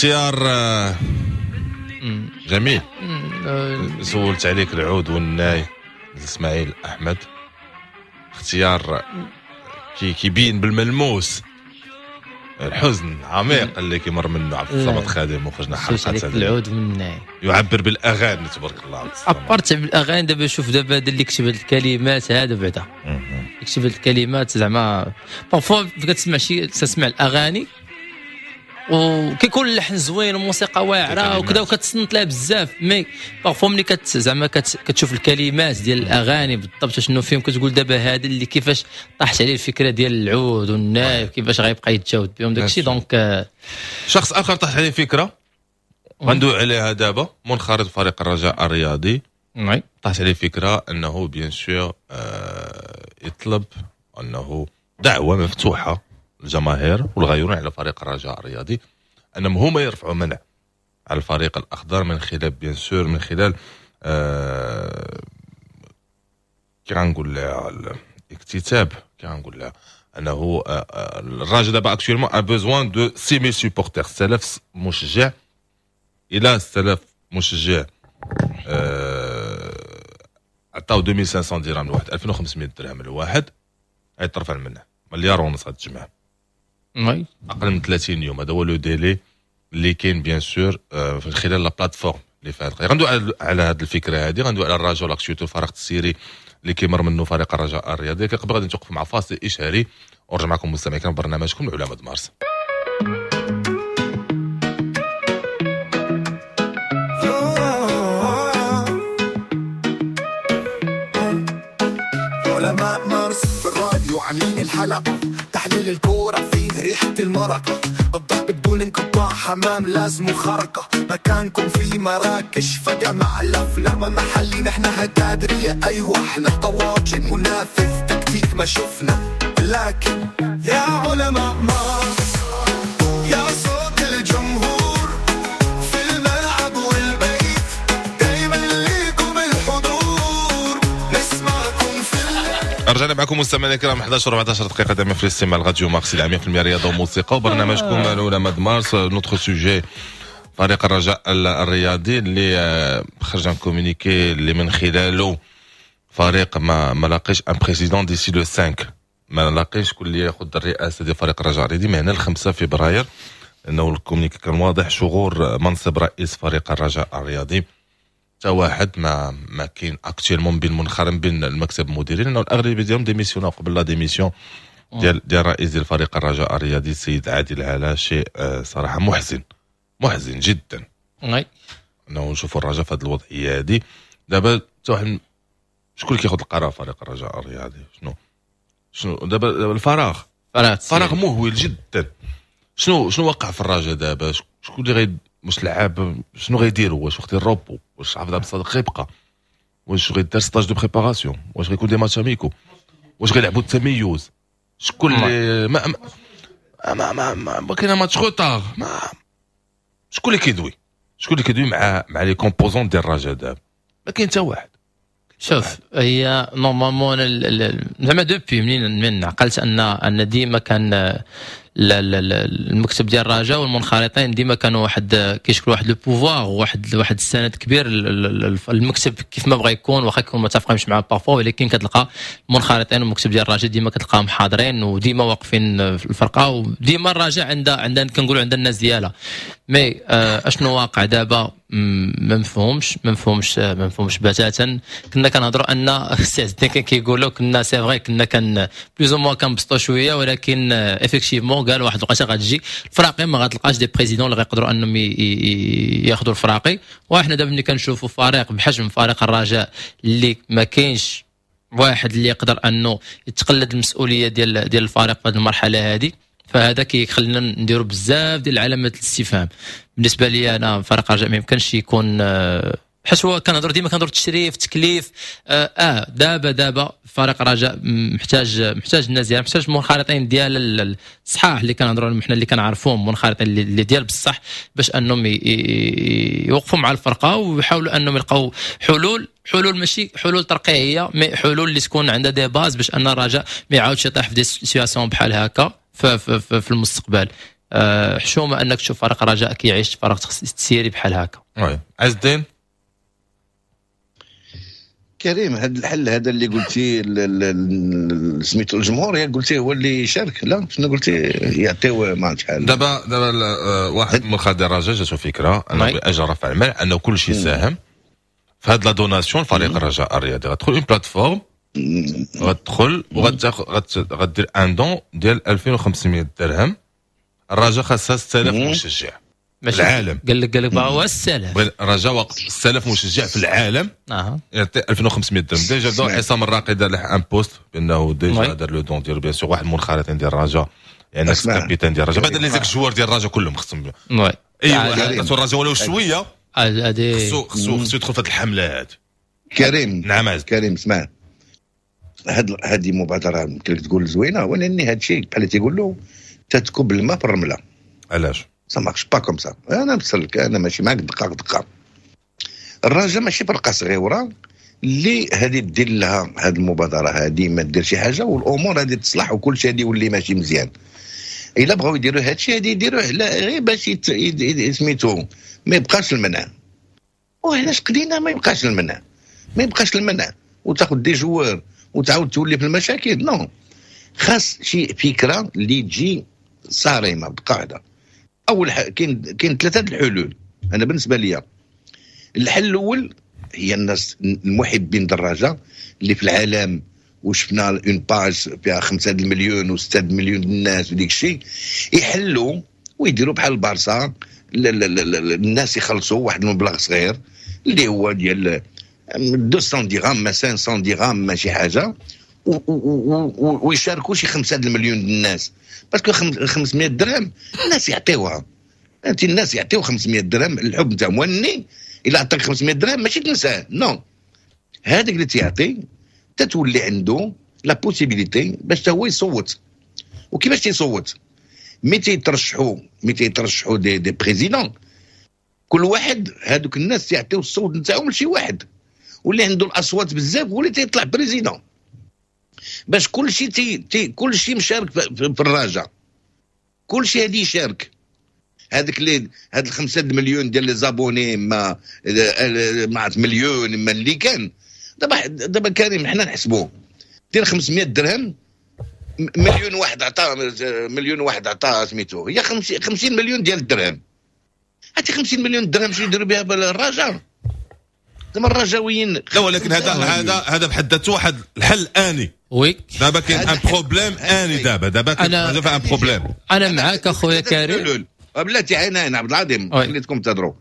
اختيار جميل. سولت عليك العود والناي اسماعيل احمد، اختيار كي كيبين بالملموس الحزن العميق اللي كيمر منه عبد الصمد خادم. وخرجنا حلقة عليك العود والناي يعبر بالاغاني تبارك الله. عبد الصمد عبرت بالاغاني. دابا شوف دابا هذا اللي كتب هاد الكلمات هذا بعدا كتب هاد الكلمات زعما parfois كتسمع شي تسمع الاغاني وكيكون اللحن زوين وموسيقى واعرة وكذا وكتصنت لها بزاف، mais parfois ملي كت زعما كتشوف الكلمات ديال الاغاني بالضبط شنو فيهم كتقول دابا هذا اللي كيفاش طاحت عليه الفكرة ديال العود والناي كيفاش غيبقى يتجاوب بهم داكشي. donc شخص اخر طاح عليه فكرة غندوي عليها دابا، منخرط فريق الرجاء الرياضي، طاحت عليه فكرة انه bien sûr يطلب انه دعوه مفتوحة الجماهير والغيرون على فريق الرجاء الرياضي انهم هما يرفعوا منع على الفريق الاخضر من خلال bien sûr من خلال آه كي غنقول لها الاكتتاب، كي غنقول لها انه آه الرجاء دابا actuellement a besoin de six mille supporters، ستة آلاف مشجع. الى ستة آلاف مشجع آه عطاو ألفين وخمسمية درهم لواحد، ألفين وخمسمية درهم لواحد، غيترفع المنع مليار ونص هاد الجماعة oui اقل من ثلاثين يوم. هذا هو le délai اللي كاين bien sûr في خلال la plateforme اللي فيها القضية. غندوي على هذه الفكرة هذه، غندوي على الرجاء l'actualité الفريق السيري اللي كيمر منه فريق الرجاء الرياضي. قبل غادي نتوقف مع فاصل اشهاري ونرجع معكم مستمعين الكرام برنامجكم العلماء د مارس. علماء مارس في الراديو عاملين الحلقة، تحليل الكورة فيه ريحة المرقة، الضرب بدون انقطاع، حمام لازم خرقة، مكانكم في مراكش فجأة مع الأفلام محلي، نحن هتادرية أيوة احنا طواجن منافذ تكتيك ما شفنا، لكن يا علماء مارس يا صوت الجمهور في الملعب والبيت دايما ليكم الحضور نسمعكم في. رجعنا معكم مستمعينا الكرام إحدى عشر وأربعة عشر دقيقة دائما في الاستماع لراديو مارس مية بالمية رياضة وموسيقى وبرنامجكم العلماء د مارس. notre sujet فريق الرجاء الرياضي اللي خرج un communiqué اللي من خلاله فريق ما ما لاقيش un président d'ici le خمسة، ما لاقيش شكون اللي ياخذ الرئاسة ديال فريق الرجاء الرياضي من هنا ل خمسة فبراير، لانه ال communiqué كان واضح شغور منصب رئيس فريق الرجاء الرياضي. حتى واحد ما ما كاين actuellement بين منخرم بين المكتب المديري، لانه الاغلبية ديالهم démissionn او قبل la démission ديال ديال الرئيس ديال فريق الرجاء الرياضي السيد عادل علا. شيء صراحة محزن محزن جدا oui انه نشوفوا الرجاء في هذه الوضعية هذه. دابا حتى واحد شكون اللي كياخذ القرار فريق الرجاء الرياضي؟ شنو شنو دابا الفراغ فراغ مهول جدا. شنو شنو وقع في الرجاء دابا؟ شكون اللي غيد واش لعاب شنو غيديروا؟ واش وقت الروبو؟ واش عبد الصادق غيبقى؟ واش غيدار stage de préparation؟ واش غيكون des matchs amicaux؟ واش غيلعبوا التميز؟ شكون اللي ما ما ما ما, ما كاين match retard؟ ما شكون اللي كيدوي؟ شكون اللي كيدوي مع مع les composantes ديال الرجاء دابا؟ ما كاين حتى واحد. شوف هي normalement زعما depuis منين من عقلت ان ان ديما كان المكتب ديال الرجاء والمنخرطين ديما كانوا واحد كيشكلوا واحد le pouvoir وواحد واحد السند كبير. المكتب كيف ما بغى يكون واخا يكون ما تفقهمش معاه parfois، ولكن كتلقى المنخرطين والمكتب ديال الرجاء ديما كتلقاهم حاضرين وديما واقفين في الفرقة، وديما الرجاء عندها عندها كنقولوا عندها الناس ديالها. mais اشنو واقع دابا ما مفهومش ما مفهومش ما مفهومش بتاتا. كنا كنهضروا ان السي عز الدين كان كيقولوا كنا c'est vrai كنا كان plus ou moins كنبسطوا شوية، ولكن effectivement قال واحد الوقيته غتجي الفراقي ما غتلقاش des présidents اللي غيقدروا انهم ياخذوا الفراقي. وحنا دابا ملي كنشوفوا فريق بحجم فريق الرجاء اللي ما كاينش واحد اللي يقدر انه يتقلد المسؤولية ديال ديال الفريق في هذه المرحلة هذه، فهذا كيخلينا نديروا بزاف ديال علامات الاستفهام. بالنسبة لي انا فريق الرجاء ما يمكنش يكون حيت هو كنهضر ديما كنهضر تشريف تكليف اه, آه دابا دابا فريق الرجاء محتاج محتاج الناس ديالها، محتاج المنخرطين ديال الصحاح اللي كنهضروا عليهم حنا اللي كنعرفوهم، منخرطين اللي ديال بصح باش انهم يوقفوا مع الفرقة ويحاولوا انهم يلقاو حلول حلول ماشي حلول ترقيعيه، mais حلول اللي تكون عندها des bases باش ان الرجاء ما يعاودش يطيح في des situations بحال هكا في, في, في المستقبل. أه حشومه انك تشوف فريق رجاء كيعيش فريق تسيري بحال هكا. oui عز الدين. كريم، هذا الحل هذا اللي قلتي سميتو الجمهور، يا قلتي هو اللي يشارك، لا شنو قلتي؟ يعطيو ما شحال. دابا دابا واحد من خادم الرجاء جاتو فكرة انه باجل رفع المنع، انه كل شيء ساهم في هاد la donation. فريق الرجاء الرياضي غتدخل une plateforme، غتدخل وغتاخذ غدير un don ديال ألفين وخمسمية درهم. الرجاء خاصها ستة آلاف مشجع في العالم. قال لك قال لك هو ستة آلاف. الرجاء وقف ستة آلاف مشجع في العالم اه يعطي ألفين وخمسمية درهم. déjà بدا عصام الراقي دار un post بانه déjà دار le don ديالو. bien sûr واحد المنخرطين ديال الرجاء، يعني capitaine ديال الرجاء، بعد les joueurs ديال الرجاء كلهم خصهم oui اي واحد الرجاء ولو شوية هذه خصو خصو خصو يدخل في هذه الحملة هذه. كريم. نعم عز. كريم، اسمع، هاد هذه مبادرة يمكن لك تقول زوينه، ولكن هذا الشيء بحال تيقول له تتكب الماء في الرمله. علاش؟ ça marche pas comme ça. انا نفسر، انا ماشي معاك دقه دقه. الرجاء ماشي فرقه صغيرة اللي هذه دير لها هذه المبادرة هذه، ما دير شي حاجة والامور هذه تصلح وكل شيء هذه يولي ماشي مزيان. الا بغاو يديروا هذا الشيء هذه يديروه غير باش سميتو ما يبقاش المنع. وعلاش قدينا ما يبقاش المنع؟ ما يبقاش المنع وتاخذ des joueurs وتعاود تولي في المشاكل، non. خاص شي فكرة اللي تجي صارمة بقاعده. اول حاجه، كاين كاين ثلاثة الحلول انا بالنسبة لي. الحل الاول هي الناس المحبين الدراجة اللي في العالم، وشفنا une page فيها خمسة المليون وستة المليون الناس وديك الشيء، يحلوا ويديروا بحال البارسا، الناس يخلصوا واحد المبلغ صغير اللي هو ديال ميتين درهم ما خمسمية درهم ما شي حاجه، ويشاركوا شي خمسة المليون الناس، parce que خمسمية درهم الناس يعطيوها. انت الناس يعطيو خمسمية درهم، الحب نتاعهم. وني الا عطاك خمسمية درهم ماشي تنساه، non. هذاك اللي تيعطي تتولي عنده la possibilité باش هو يصوت. وكيفاش تيصوت؟ mais تيترشحوا mais تيترشحوا des des présidents، كل واحد هذوك الناس يعطيو الصوت نتاعهم لشي واحد، واللي عنده الاصوات بزاف هو اللي تيطلع président، باش كل شيء تي تي كل شيء مشارك في, في الرجاء، كل شيء هادي يشارك. هذاك اللي هاد الخمسة مليون ديال les abonnés ما ما مليون ما اللي كان دابا. دابا كريم، حنا نحسبوه، دير خمسمية درهم، مليون واحد عطاه، مليون واحد عطاه سميتو، هي خمسين مليون ديال الدرهم. هاتي خمسين مليون درهم شنو يديروا بها الرجاء؟ زعما الرجاويين. لا، ولكن هذا هذا هذا بحد ذاته واحد الحل اني. oui دابا كاين un problème اني، دابا دابا كاين un problème. انا معاك اخويا كريم. بلاتي، انا انا عبد العظيم خليتكم تهضروا،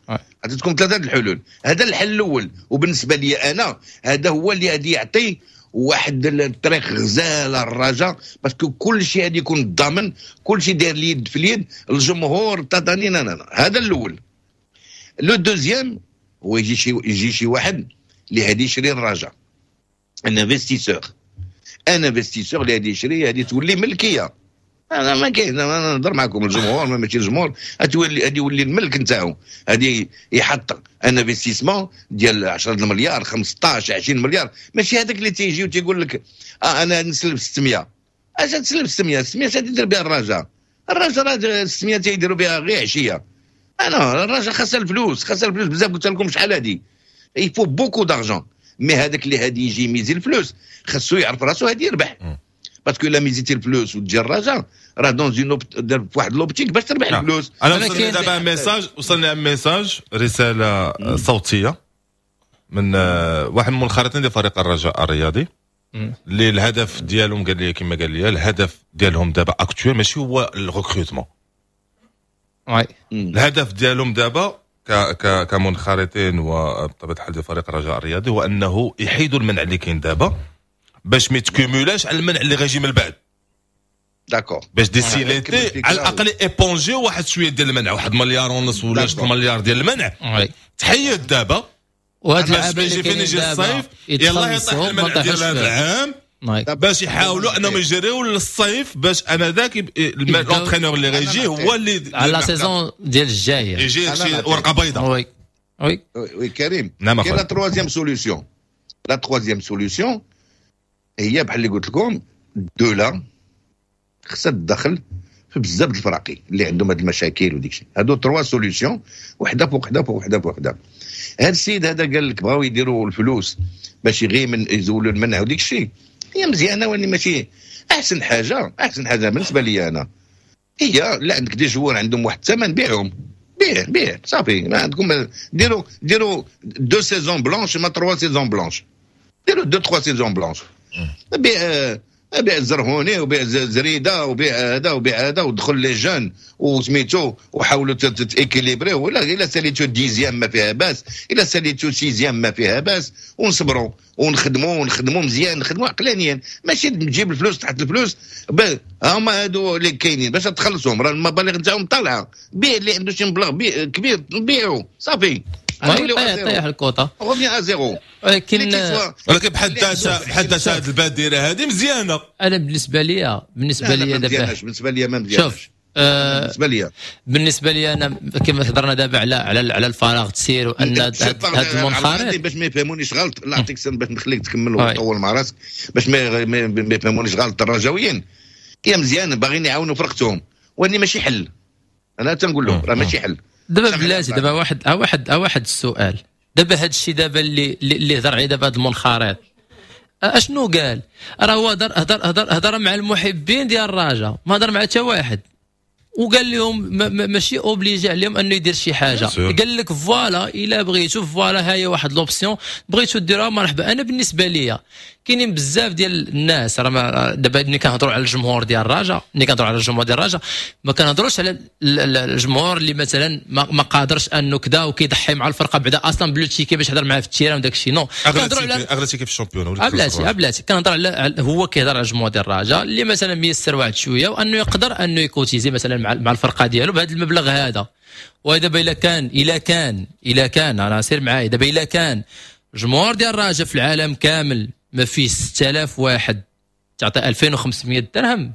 عطيتكم ثلاثة الحلول. هذا الحل الاول، وبالنسبة لي انا هذا هو اللي غادي يعطي واحد الطريق غزاله الرجاء، parce que كل شيء غادي يكون ضامن، كل شيء داير اليد في اليد، الجمهور تاتاني. هذا الاول. le deuxième هو يجي شي يجي شي واحد اللي غادي يشري الرجاء، un investisseur un investisseur اللي غادي يشري، غادي تولي ملكيه. انا ما كاين، انا نهضر معكم الجمهور، ما ماشي الجمهور، غتولي غادي يولي الملك نتاعو، غادي يحط un investissement ديال عشرة المليار، خمسطاش، عشرين مليار. ماشي هذاك اللي تيجي وتيقول لك اه انا نسلف ستمية. اش تسلف ستمية؟ ستمية اش تدير بها الرجاء؟ الرجاء راه ستمية تيديروا بها غير عشيه. انا الرجاء خاصها الفلوس، خاصها الفلوس بزاف، قلت لكم شحال هادي، il faut beaucoup d'argent. mais هذاك اللي هادي يجي يميزي الفلوس خاصو يعرف راسو هادي يربح، parce que الا ميزيتي الفلوس وتجي الرجاء راه dans une في واحد l'optique باش تربح نعم. الفلوس. انا وصلني دابا message، وصلني message، رسالة صوتية من آه، واحد من المنخرطين ديال فريق الرجاء الرياضي، اللي الهدف ديالهم، قال لي كما قال لي، الهدف ديالهم دابا actuel ماشي هو ال recrutement. oui الهدف ديالهم دابا ك ك كمنخرطين وبطبيعة الحال ديال فريق الرجاء الرياضي هو انه يحيدوا المنع اللي كاين دابا باش ما يتكومولاش على المنع اللي غيجي من بعد. d'accord. باش des célébrités على الاقل éponger واحد شوية ديال المنع، واحد مليار ونص ولا جوج مليار ديال المنع oui تحيد دابا وهاد باش اللعابه يجي اللي فين كاينين يجي دابا الصيف يلا يطيح يتخلصوا ما المنع ديال طيحوش هذا فيه. العام، oui. باش يحاولوا انهم يجريو للصيف، باش انا ذاك يبداو- l'entraîneur اللي غيجي هو اللي على la saison ديال الجايه. يجي أنا شي نعطيك. ورقة بيضاء. oui oui oui كريم. نعم كاين la أخويا. troisième solution. la troisième solution هي بحال اللي قلت لكم، الدولة خصها تدخل في بزاف د الفراقي اللي عندهم هاد المشاكل وديك الشيء. هادو trois solutions، وحده فوق وحده فوق وحده فوق وحده. هاد السيد هذا قال لك بغاو يديروا الفلوس باش غير من يزولوا المنع وديك الشيء، هي مزيانه ولكن ماشي احسن حاجة. احسن حاجة بالنسبة لي انا هي لا عندك des joueurs عندهم واحد الثمن، بيعهم، بيع بيع صافي. ما عندكم ديروا ديروا deux saisons blanches، ما trois saisons blanches، ديروا deux trois saisons blanches، بيع بيع الزرهوني وبيع زريده وبيع هذا وبيع هذا، ودخل les jeunes وسميتو وحاولوا ت équilibrer. ولا الا ساليتو dixième ما فيها باس، الا ساليتو sixième ما فيها باس، ونصبروا ونخدموا ونخدموا مزيان، نخدموا عقلانيا، ماشي تجيب الفلوس تحت الفلوس. هما هادو اللي كاينين باش تخلصهم، راه المبالغ نتاعهم طالعه. بيع اللي عنده شي مبلغ كبير بيعوا صافي، طيح الكوطه revient à zéro. ولكن ولكن بحد ذاتها بحد ذاتها هذه البادرة هذه مزيانه. انا بالنسبة لي بالنسبة لي دابا بالنسبة لي ما مزيانش. شوف آه بالنسبة لي بالنسبة لي انا كما هضرنا دابا على على على الفراغ تسير وان هذا المنخرط، باش ما يفهمونيش غلط، لا نعطيك سن باش نخليك تكمل وتطول مع راسك، باش ما ما يفهمونيش غلط الرجاويين. هي مزيانه باغيين يعاونوا فرقتهم، ولكن ماشي حل. انا تنقول لهم راه ماشي حل. دابا بلاتي دابا واحد واحد واحد السؤال دابا، هذا الشيء دابا اللي اللي هضر عليه دابا هذا المنخرط اشنو قال؟ راه هو هضر هضر هضر هضر مع المحبين ديال الرجاء، ما هضر مع حتى واحد، وقال لهم ماشي obligé عليهم انه يدير شي حاجة. قال لك voilà الا بغيتو voilà ها هي واحد l'option بغيتو ديروها مرحبا. انا بالنسبة ليا كاينين بزاف ديال الناس راه دابا ملي كنهضروا على الجمهور ديال الرجاء، ملي كنهضروا على الجمهور ديال الرجاء ما كنهضروش على الجمهور اللي مثلا ما قادرش انه كذا وكيضحي مع الفرقة بعدا اصلا ب le ticket باش يهضر معاه في ال terrain وداك الشيء. non، كنهضروا على اغلى ticket في ال championnat. بلاتي بلاتي كنهضر على هو كيهضر على الجمهور ديال الرجاء اللي مثلا ميسر واحد شوية وانه يقدر انه ي cotiser مثلا مع مع الفرقة ديالو بهذا المبلغ هذا. ودابا الا كان الا كان الا كان انا سير معايا دابا، الا كان جمهور ديال الرجاء في العالم كامل ما فيه ستة آلاف واحد تعطي ألفين وخمسمية درهم،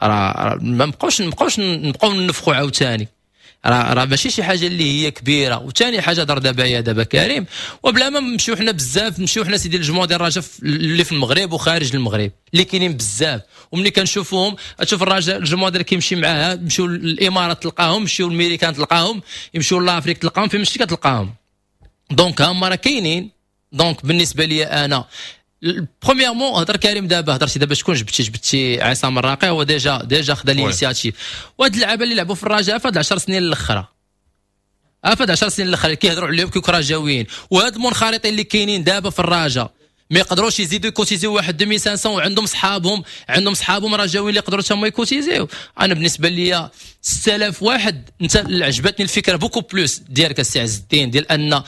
راه ما نبقاوش نبقاوش نبقاو ننفخوا عاوتاني، راه راه ماشي شي حاجة اللي هي كبيرة. وثاني حاجة دار دابا يا دابا كريم، وبلا ما نمشيو حنا بزاف، نمشيو حنا سيدي الجمهور ديال الرجاء اللي في المغرب وخارج المغرب اللي كاينين بزاف، وملي كنشوفوهم تشوف الرجاء الجمهور ديال كيمشي معاها، يمشيو للامارات تلقاهم، يمشيو للميريكان تلقاهم، يمشيو l'Afrique تلقاهم، فين مشيتي كتلقاهم. donc هما راه كاينين. donc بالنسبة لي انا premièrement هضر كريم دابا، هضرتي دابا شكون جبتي؟ جبتي عصام الراقي، هو déjà déjà خدا l'initiative. وهاد اللعابه اللي لعبوا في الرجاء في هاد العشر سنين الاخرى، في هاد العشر سنين الاخرى كيهضروا عليهم كيكون رجاويين، وهاد المنخرطين اللي كاينين دابا في الرجاء ما يقدروش يزيدوا ي cotiser يو واحد ألفين وخمسمية، وعندهم صحابهم عندهم صحابهم رجاويين اللي يقدروا تما ي cotiser يو. انا بالنسبة لي ستة آلاف واحد، انت عجبتني الفكرة beaucoup plus ديالك السي عز الدين، ديال ان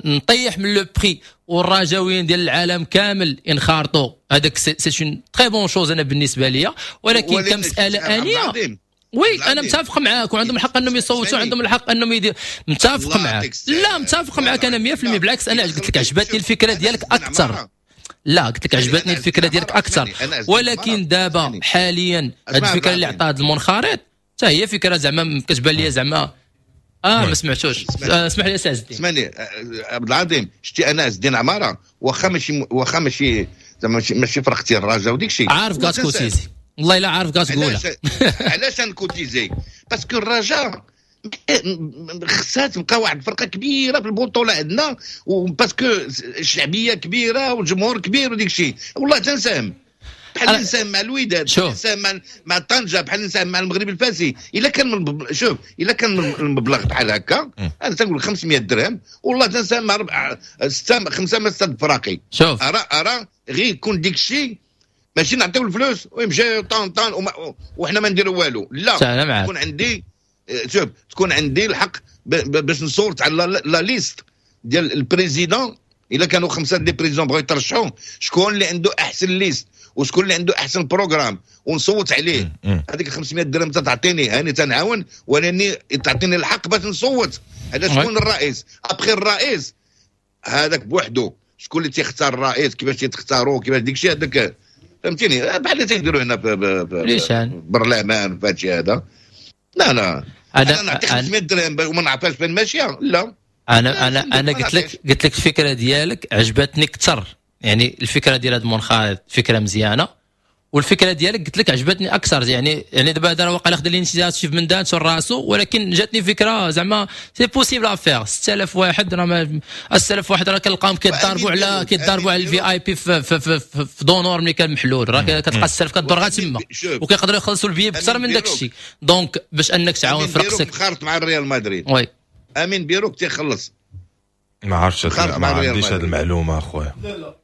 نطيح من le prix والرجاويين ديال العالم كامل ينخرطوا، هذاك c'est une très bonne chose انا بالنسبة لي. ولكن كمسالة انية oui انا متفق معاك، وعندهم الحق انهم يصوتوا، عندهم الحق انهم يديروا، متفق معاك. لا متفق معاك انا مية بالمية، بالعكس انا قلت لك عجبتني الفكرة ديالك اكثر. لا قلت لك عجبتني الفكرة ديالك اكثر، ولكن دابا حاليا هذه الفكرة اللي عطاها المنخرط حتى هي فكرة زعما كتبان لي زعما اه ما سمعتوش. اسمح لي سي عز الدين. اسمعني عبد العظيم، شتي انا عز الدين عمارة واخا ماشي واخا ماشي زعما ماشي فرقتي الرجاء وديك الشيء، عارف كات cotiser، والله الا عارف كتقولها. علاش ن cotiser؟ parce que الرجاء خصها تبقى واحد الفرقة كبيرة في البطولة عندنا، و parce que الشعبية كبيرة والجمهور كبير وديك الشيء. والله تنساهم بحال نساهم مع الوداد، بحال نساهم مع مع طنجه، بحال نساهم مع المغرب الفاسي. الا كان من شوف الا كان المبلغ بحال هكا، انا تنقول خمسمية درهم والله تنساهم مع ربع ستة خمسة ما ستة فراقي. شوف ارى ارى غير يكون ديك الشيء، ماشي نعطيو الفلوس ويمشي طان طان وحنا ما نديرو والو. لا، تكون عندي شوف تكون عندي الحق باش نصورت على la liste ديال ال président. الا كانوا خمسة des présidents بغاو يترشحوا، شكون اللي عنده احسن liste وشكون اللي عنده احسن programme ونصوت عليه. هذيك خمسمية درهم تعطيني هاني تنعاون، ولاني تعطيني الحق باش نصوت على شكون الرئيس. après الرئيس هذاك بوحده شكون اللي تيختار الرئيس، كيفاش تيختاروا، كيفاش ديك الشيء هذاك، فهمتيني؟ بحال اللي تيديروا هنا في البرلمان في هادشي هذا. لا لا انا نعطي خمسمية درهم وما نعرفهاش فين ماشية. لا انا انا انا قلت لك قلت لك الفكرة ديالك عجبتني اكثر، يعني الفكرة ديال هذا المنخرط فكرة مزيانه، والفكرة ديالك قلت لك عجبتني اكثر، يعني يعني دابا هذا راه واقع خدا l'initiative من دانتو راسو، ولكن جاتني فكرة زعما c'est possible à faire. ستة آلاف واحد راه ما ستة آلاف واحد راه كنلقاهم كيضاربوا على كيضاربوا على ال VIP في في في, في, في d'honneur ملي كان محلول، راه كتلقى ستة آلاف كدور غير تما وكيقدروا يخلصوا البي بكثر من داك الشيء. donc باش انك تعاون فرقتك خارط مع الريال مدريد. oui امين بيروك تيخلص. ما عرفتش، ما عنديش هذه المعلومة اخويا. لا لا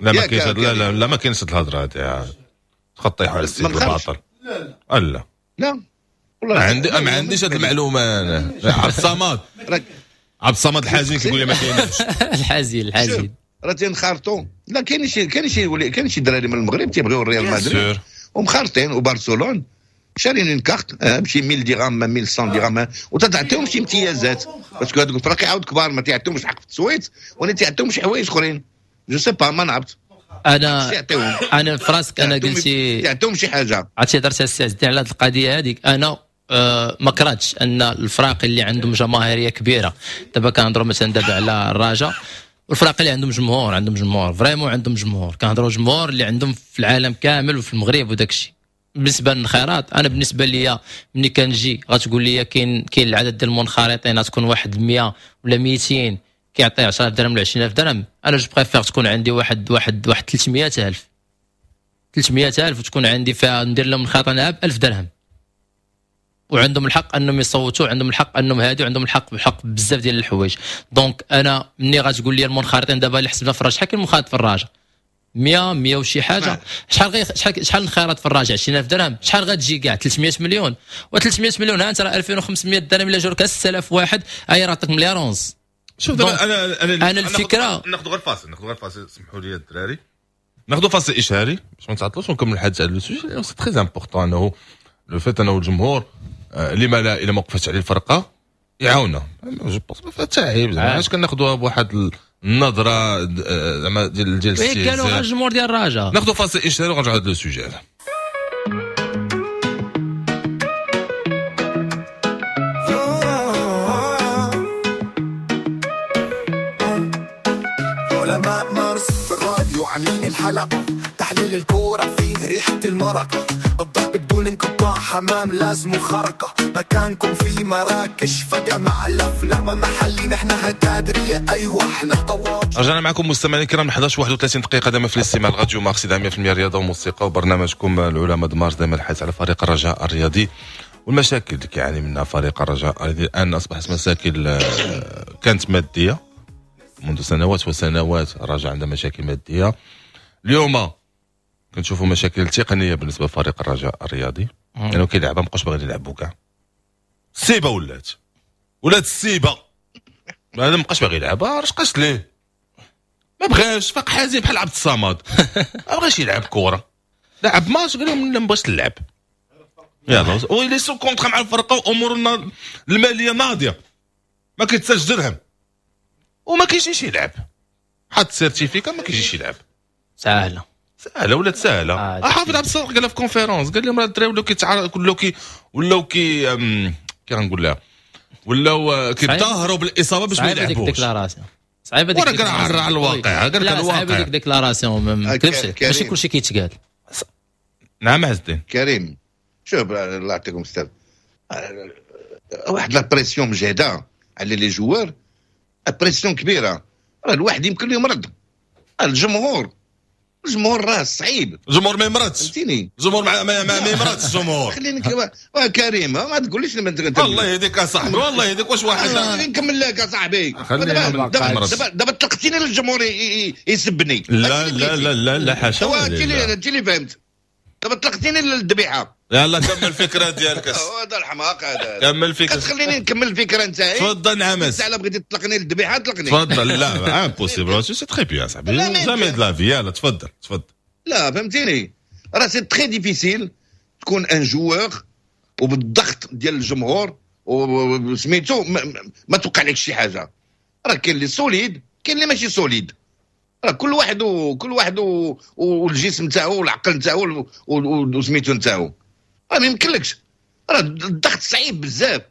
لا ما كاينش، لا لا لا ما كاينش الهضرة هذه، تخطيحوا على السيد الباطل. لا لا لا لا والله عندي ما عنديش هذه المعلومة انا. عبد الصمد عبد الصمد الحزين كيقول لي ما كاينش. الحزين الحزين راه تنخارطوا. لا كاين شي كاين شي كاين شي دراري من المغرب تيبغيو الريال مدريد ومخارطين وبرشلونة شارين une carte ماشي ألف درهم ألف ومئة درهم وتعطيهم شي امتيازات parce que هذوك الفرق عاود كبار ما تيعطيهمش حق في التصويت ولا تيعطيهم شي حوايج اخرين. je sais pas ما نعرفت انا. انا في راسك انا قلتي يعطيهم شي حاجة. عرفتي هضرت السي عز الدين على هذه القضية هذيك. انا أه ما كرهتش ان الفراق اللي عندهم جماهيرية كبيرة، دابا كنهضروا مثلا دابا على الرجاء والفراق اللي عندهم جمهور، عندهم جمهور vraiment عندهم جمهور، كنهضروا جمهور اللي عندهم في العالم كامل وفي المغرب وداك الشيء. بالنسبة للانخراط انا بالنسبة ليا ملي كنجي غتقول لي كاين كاين العدد ديال المنخرطين غتكون واحد مية ولا ميتين كيعطي عشرة آلاف درهم ولا عشرين ألف درهم، انا je préfère تكون عندي واحد واحد واحد ثلاثمية ألف ثلاثمية ألف وتكون عندي فيها ندير لهم الخاطر ب ألف درهم، وعندهم الحق انهم يصوتوا، عندهم الحق انهم هادي، وعندهم الحق بحق بزاف ديال الحوايج. donc انا ملي غتقول لي المنخرطين دابا اللي حسبنا في الرجاء، شحال كاين منخرط في الرجاء؟ مية مية وشي حاجة. شحال غي شحال شحال الخيرات في الرجاء؟ عشرين ألف درهم. شحال غتجي كاع؟ ثلاثمية مليون. و ثلاثمية مليون ها انت راه ألفين وخمسمية درهم الا جاوك ستة آلاف واحد هاي راه عطاك مليار ونص. شوف دابا انا انا انا الفكرة ناخذ غير فاصل، ناخذ غير فاصل، سمحوا لي الدراري ناخذ فاصل اشهاري باش ما نتعطلوش ونكمل الحديث على le sujet لانه c'est très important انه le fait انه الجمهور لما لا الا ما وقفتش عليه الفرقة يعاوننا. je pense ما فيها حتى عيب زعما، علاش كناخذوها بواحد النظرة زعما ديال ديال السي قالوا غير الجمهور ديال الرجاء. ناخذ فاصل اشهاري ونرجعوا لهذا le sujet هذا. علماء مارس في الراديو عاملين الحلقة، تحليل الكورة فيه ريحة المرقة، الضرب بدون انقطاع حمام لازم خرقة، مكانكم في مراكش فجأة مع الأفلام محلي نحن هتادرية أيوة احنا طواج. رجعنا معكم مستمعينا الكرام إحدى عشر وواحد وثلاثين دقيقة دائما في الاستماع لراديو مارس مية بالمية رياضة وموسيقى وبرنامجكم العلماء د مارس، دائما الحديث على فريق الرجاء الرياضي والمشاكل اللي كيعاني منها فريق الرجاء الرياضي. الآن أصبحت مشاكل كانت مادية منذ سنوات وسنوات، الرجاء عنده مشاكل مادية. اليوم كنشوفوا مشاكل تقنية بالنسبة لفريق الرجاء الرياضي، لانه يعني كاين لعبه مابقاش باغيين يلعبوا كاع. السيبه ولات ولات السيبه، هذا مابقاش باغي يلعبها، رشقاش ليه ما بغاش، فاق حزين بحال عبد الصمد ما بغاش يلعب كره، لعب ماتش قال لهم لا ما بغاش نلعب، يلا ويلي sous contrat مع الفرقة وامورنا المالية ناضيه ما كيتسالش درهم وما كيجيش يلعب، حط certificat ما كيجيش يلعب. ساهله سهلة ولات سهلة. آه حافظ عبد الصادق قالها في conférence، قال لهم راه الدراري ولاو كيتعرض ولاو كي ولاو كي كي غنقول لها ولاو كيتظاهروا بالاصابة باش ما يلعبوش. صعيبة ديك déclaration، على الواقع قال لك الواقع صعيبة ديك déclaration، ما نكذبش ماشي كلشي كيتقال. نعم عز الدين كريم، شوف الله يعطيكم الستر، واحد la pression مجهده على les joueurs، pression كبيرة، راه الواحد يمكن له يمرض. الجمهور الجمهور راه صعيب، الجمهور ما يمرضش، فهمتيني، الجمهور ما ما, ما يمرضش الجمهور. خليني واه كريم ما تقوليش انت الله يهديك اصاحبي، والله يهديك. واش واحد نكمل لك اصاحبي، دابا دابا طلقتيني للجمهور يسبني. لا لا لا لا لا حاشا، انت اللي انت اللي فهمت، دابا طلقتيني للذبيحه. يلا كمل الفكرة ديالك. هذا الحماق هذا، كمل الفكرة، خليني نكمل الفكرة نتاعي. تفضل نعم، انت على بغيتي تطلقني للذبيحه طلقني. تفضل. لا impossible، c'est très bien صاحبي، jamais de la vie. يلا تفضل تفضل. لا فهمتيني، راه c'est très difficile تكون un joueur وبالضغط ديال الجمهور وسميتو ما توقع لك شي حاجة. راه كاين اللي solide، كاين اللي ماشي solide، راه كل واحد وكل واحد والجسم نتاعو والعقل نتاعو وسميتو نتاعو، راه ما يمكنلكش، راه الضغط صعيب بزاف،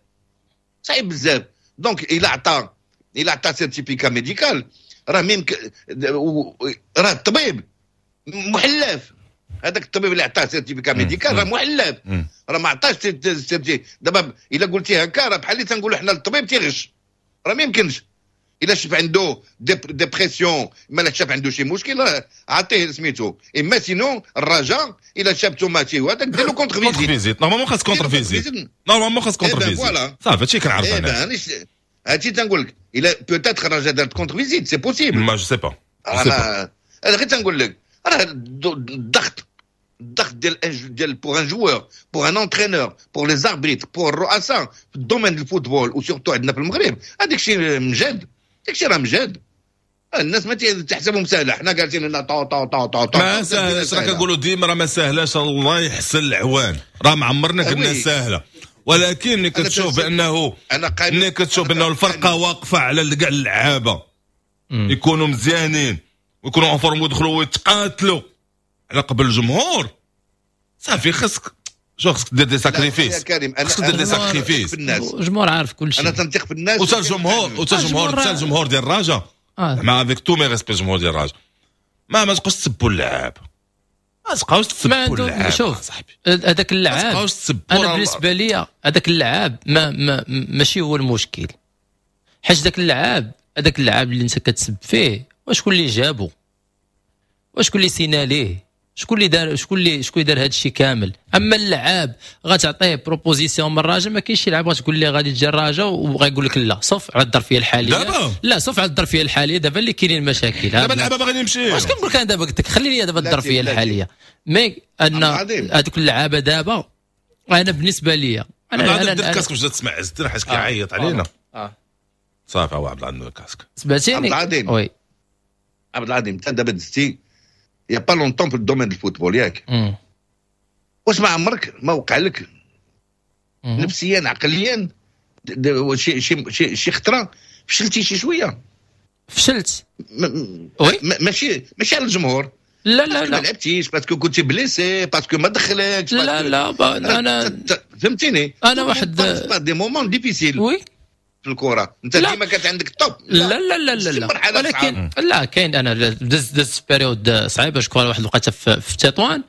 صعيب بزاف. donc الا عطى الا عطى certificat médical راه ميمكن، راه الطبيب محلف هذاك الطبيب اللي عطاه certificat médical راه محلف، راه ما عطاش certificat. دابا الا قلتي هكا راه بحال اللي تنقولوا حنا الطبيب تيغش، راه ما يمكنش. الا شاف عنده dépression، ما شاف عنده شي مشكل راه عطية سميتو. اما sinon الرجاء الا شافتو ماشي هو هذاك دير له contre contre visite. visite، normalement خاص contre visite، normalement خاص contre visite. voilà. صافي، هادشي كنعرف إيه انا. ben هادشي تنقول لك، الا peut-être الرجاء دارت contre visite، c'est possible. ما je sais pas. انا انا غير تنقول لك راه الضغط الضغط ديال ديال pour un joueur، pour un entraîneur، pour les arbitres، pour الرؤساء في ال domaine ال football، و surtout عندنا في المغرب، هذاك الشيء مجاد، داك الشيء راه مجاد. الناس ما تحسبهم سهله، حنا جالسين لنا طو طو طو طو طو. ما ساهلاش، راه كنقولوا ديما راه ما ساهلاش، الله يحسن العوان، راه ما عمرنا قلنا ساهله، ولكن ملي كتشوف بانه انا ملي كتشوف بانه الفرقة واقفة على كاع اللعابه يكونوا مزيانين ويكونوا en forme ويدخلوا ويتقاتلوا على قبل الجمهور، صافي خاصك شو خاصك دير des sacrifices، خاصك دير des sacrifices. الجمهور عارف كل شيء. انا تنثق في الناس. وتا الجمهور وتا الجمهور حتى الجمهور ديال الرجاء، مع avec tous mes respects، الجمهور ديال الرجاء ما ما تبقاوش تسبوا اللعاب، ما تبقاوش تسبوا اللعاب. شوف صاحبي، هذاك اللعاب انا بالنسبة لي هذاك اللعاب ما, ما ماشي هو المشكل، حيت ذاك اللعاب هذاك اللعاب اللي انت كتسب فيه، وشكون اللي جابو؟ وشكون اللي سينا ليه؟ شكون اللي دار شكون اللي شكون اللي دار هذا الشيء كامل؟ اما اللعاب غتعطيه proposition من الرجاء، ما كاينش شي لعاب غتقول ليه غادي تجي الرجاء وغايقول لك لا، sauf على الظرفية الحالية دابا. لا، sauf على الظرفية الحالية دابا اللي كاينين المشاكل. دابا اللعابه باغيين يمشيو. واش كنقول لك انا دابا؟ قلت لك خلي لي دابا الظرفية الحاليه، mais ان هذوك اللعابه دابا انا بالنسبة لي انا انا درت casque باش تسمع عز الدين حيت كيعيط علينا. اه صافي، هو عبد العظيم ال casque. سمعتيني؟ عبد العظيم. oui. عبد العظيم، انت دابا دزتي y a pas longtemps في ال domaine ال football، ياك؟ واش ما عمرك ما وقع لك نفسيا عقليا شي شي شي, شي خطره فشلتي شي شوية؟ فشلت oui. ماشي ماشي على الجمهور. لا لا لا. ما لعبتيش parce que كنتي blessé، parce que ما دخلكش. لا لا، انا فهمتيني. انا واحد des moments difficiles oui في الكره، انت ديما كانت عندك top. لا لا لا لا لا، ولكن لا كاين، انا دز دز période صعيبه، je crois واحد الوقيته في, في تطوان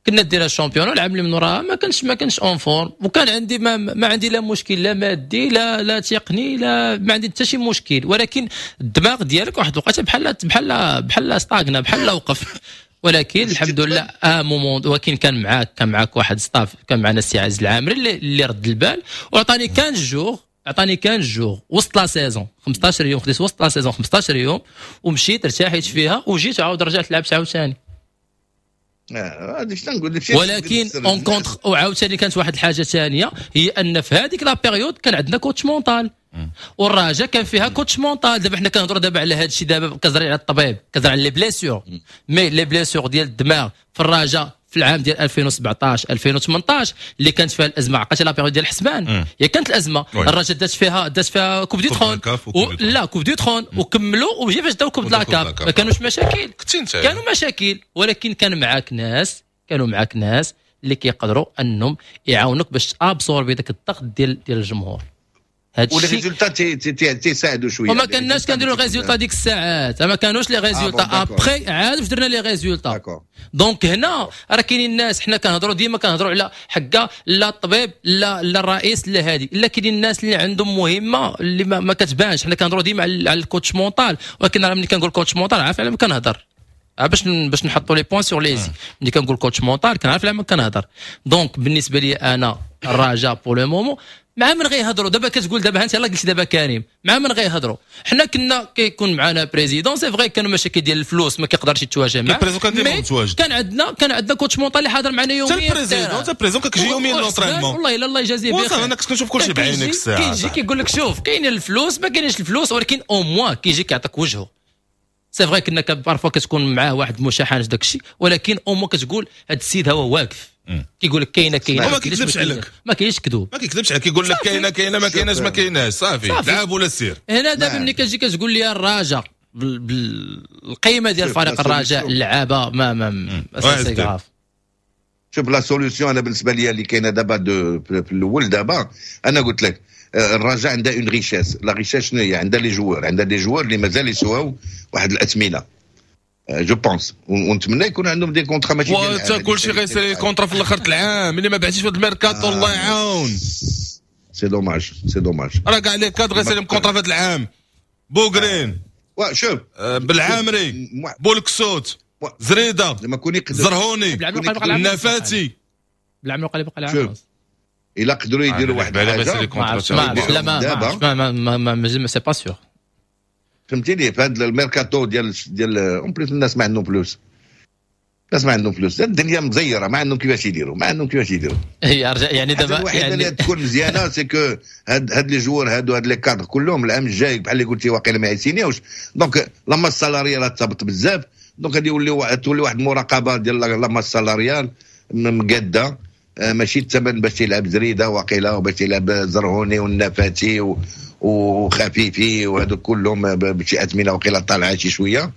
كنا دينا ال championnat، العام اللي من وراها ما كانش ما كانش en forme، وكان عندي ما, ما عندي لا مشكل لا مادي لا لا تقني، لا ما عندي حتى شي مشكل، ولكن الدماغ ديالك واحد الوقيته بحال بحال بحال stagna، بحال وقف. ولكن الحمد لله à un moment ولكن كان معاك كان معاك واحد staff، كان معنا السي عز العامري اللي, اللي رد البال وعطاني quinze jours، عطاني quinze jours وسط la saison، خمسطاش يوم، خديت وسط la saison خمسطاش يوم ومشيت ارتاحيت فيها وجيت عاود رجعت لعبت عاوتاني. ولكن en contre وعاوتاني كانت واحد الحاجة ثانيه، هي ان في هذيك la période كان عندنا coach mental، والرجاء كان فيها coach mental. دابا حنا كنهضروا دابا على هذا الشيء، دابا كنهضر على الطبيب، كنهضر على les blessures، mais les blessures ديال الدماغ في الرجاء في العام ديال ألفين وسبعطاش ألفين وثمنطاش اللي كانت فيها الازمه، عقلتي la période ديال الحسبان؟ هي كانت الازمه، الرجاء دات فيها دات فيها coupe du trône و... لا، coupe du trône، وكملوا وجي فاش داو coupe la CAF ما كانوش مشاكل؟ كانوا مشاكل، ولكن كان معاك ناس كانوا معاك ناس اللي كيقدروا انهم يعاونوك باش absorber داك الضغط ديال ديال الجمهور. هادشي و les résultats تيساعدوا شويه. وما كناش كنديروا résultats ديك الساعات، ما كانوش les résultats، après عاد باش درنا les résultats. donc هنا راه كاينين الناس، حنا كنهضروا ديما كنهضروا على حكا لا الطبيب لا لا الرئيس لا هادي، لا، كاينين الناس اللي عندهم مهمة اللي ما, ما كتبانش. حنا كنهضروا ديما على ال coach mental، ولكن راه ملي كنقول coach mental عارف على ما كنهضر، باش باش نحطوا les points sur les i. ملي كنقول coach mental كنعرف على ما كنهضر. donc بالنسبة لي انا الرجاء pour le moment مع من غيهضروا؟ دابا كتقول دابا انت يلاه قلتي دابا كريم، مع من غيهضروا؟ حنا كنا كيكون معنا président، c'est vrai كانوا مشاكل ديال الفلوس ما كيقدرش يتواجه معاه. ال président كان ديما متواجد. كان عندنا كان عندنا coach mental اللي حاضر معنا يوميا. حتى ال président حتى ال président كيجي يوميا l'entraînement. والله الا الله يجازيه بخير. انا كنت كنشوف كلشي بعينك الساعه. كيجي كيقول لك شوف، كاين الفلوس، ما كاينش الفلوس، ولكن au moins كيجي كيعطيك وجهه. c'est vrai كنا parfois كتكون معاه واحد المشاحنات داك الشيء، ولكن au moins كتقول هذا السيد هو واقف كيقول لك كاينه كاينه. ما كيكذبش عليك. ما كاينش كذوب. ما كيكذبش عليك، كيقول لك كاينه كاينه، ما كايناش ما كايناش، صافي، لعب ولا سير. هنا دابا ملي كتجي كتقول لي الرجاء بالقيمة ديال فريق الرجاء، اللعابه ما ما c'est grave. شوف la solution انا بالنسبة لي اللي كاينه دابا في الاول، دابا انا قلت لك آه، الرجاء عندها une richesse. la richesse شنو هي؟ عندها les joueurs، عندها des joueurs اللي مازال يسواو واحد الاثمنه. je pense، ونتمنى يكون عندهم des contrats ماشي ديال كلشي غيسالي contrat في الاخر العام اللي ما بعتيش في هذا الميركاتو الله يعاون. c'est dommage، c'est dommage. راه كاع les cadres غيسالي contrat في هذا العام. بوغرين، شوف، بالعامري، بولكسوت، زريده، زرهوني، النفاتي. بالعمري قال بقى العام. الا قدروا يديروا واحد الحاجة ما لا ما ما ما ما c'est pas sûr. فهمتيني، في هذا الميركاتو ديال ديال en plus الناس ما عندهم فلوس، الناس ما عندهم فلوس، الدنيا مزيره، ما عندهم كيفاش يديروا، ما عندهم كيفاش يديروا. هي يعني دابا الوحيدة اللي تكون مزيانه c'est que هاد هاد les joueurs هادو، هاد les cadres كلهم العام الجاي بحال اللي قلتي واقيلا ما يسينيوش، donc la masse salariale تهبط بزاف، donc غادي يولي تولي واحد المراقبة ديال la masse salariale مقاده، ماشي الثمن باش تلعب زريده واقيلا وباش تلعب زرهوني والنفاتي وخفيفي وهادو كلهم بشي اثمنه وقيلا طالعه شي شوية.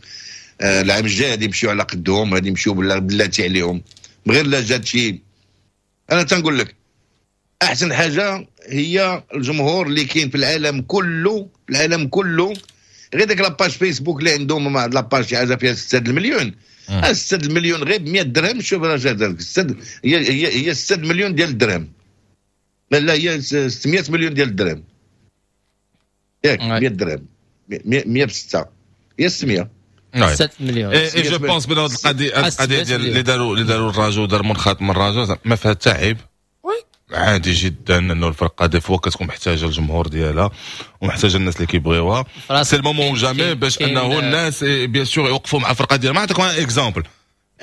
العام الجاي غادي يمشيو على قدهم، غادي يمشيو بلاتي عليهم غير لا جات شي. انا تنقول لك احسن حاجة هي الجمهور اللي كاين في العالم كله، في العالم كله، غير ديك la page فيسبوك اللي عندهم، مع la page شي حاجة فيها ستة المليون، ستة المليون غير ب مية درهم. شوف راه ستة هي هي هي ستة مليون ديال الدرهم، لا لا هي ستمية مليون ديال الدرهم، ياك مية درهم، مية بستة هي ستمية. ستة مليون. et je pense بان هذه القضية القضية ديال اللي داروا اللي داروا الرجاء ودار منخرط من الرجاء ما فيها حتى عيب، عادي جدا، انه الفرقة des fois كتكون محتاجه الجمهور ديالها ومحتاجة الناس اللي كيبغيوها. c'est le moment ou jamais باش انه الناس bien sûr يوقفوا مع الفرقة ديالها. ما نعطيكم exemple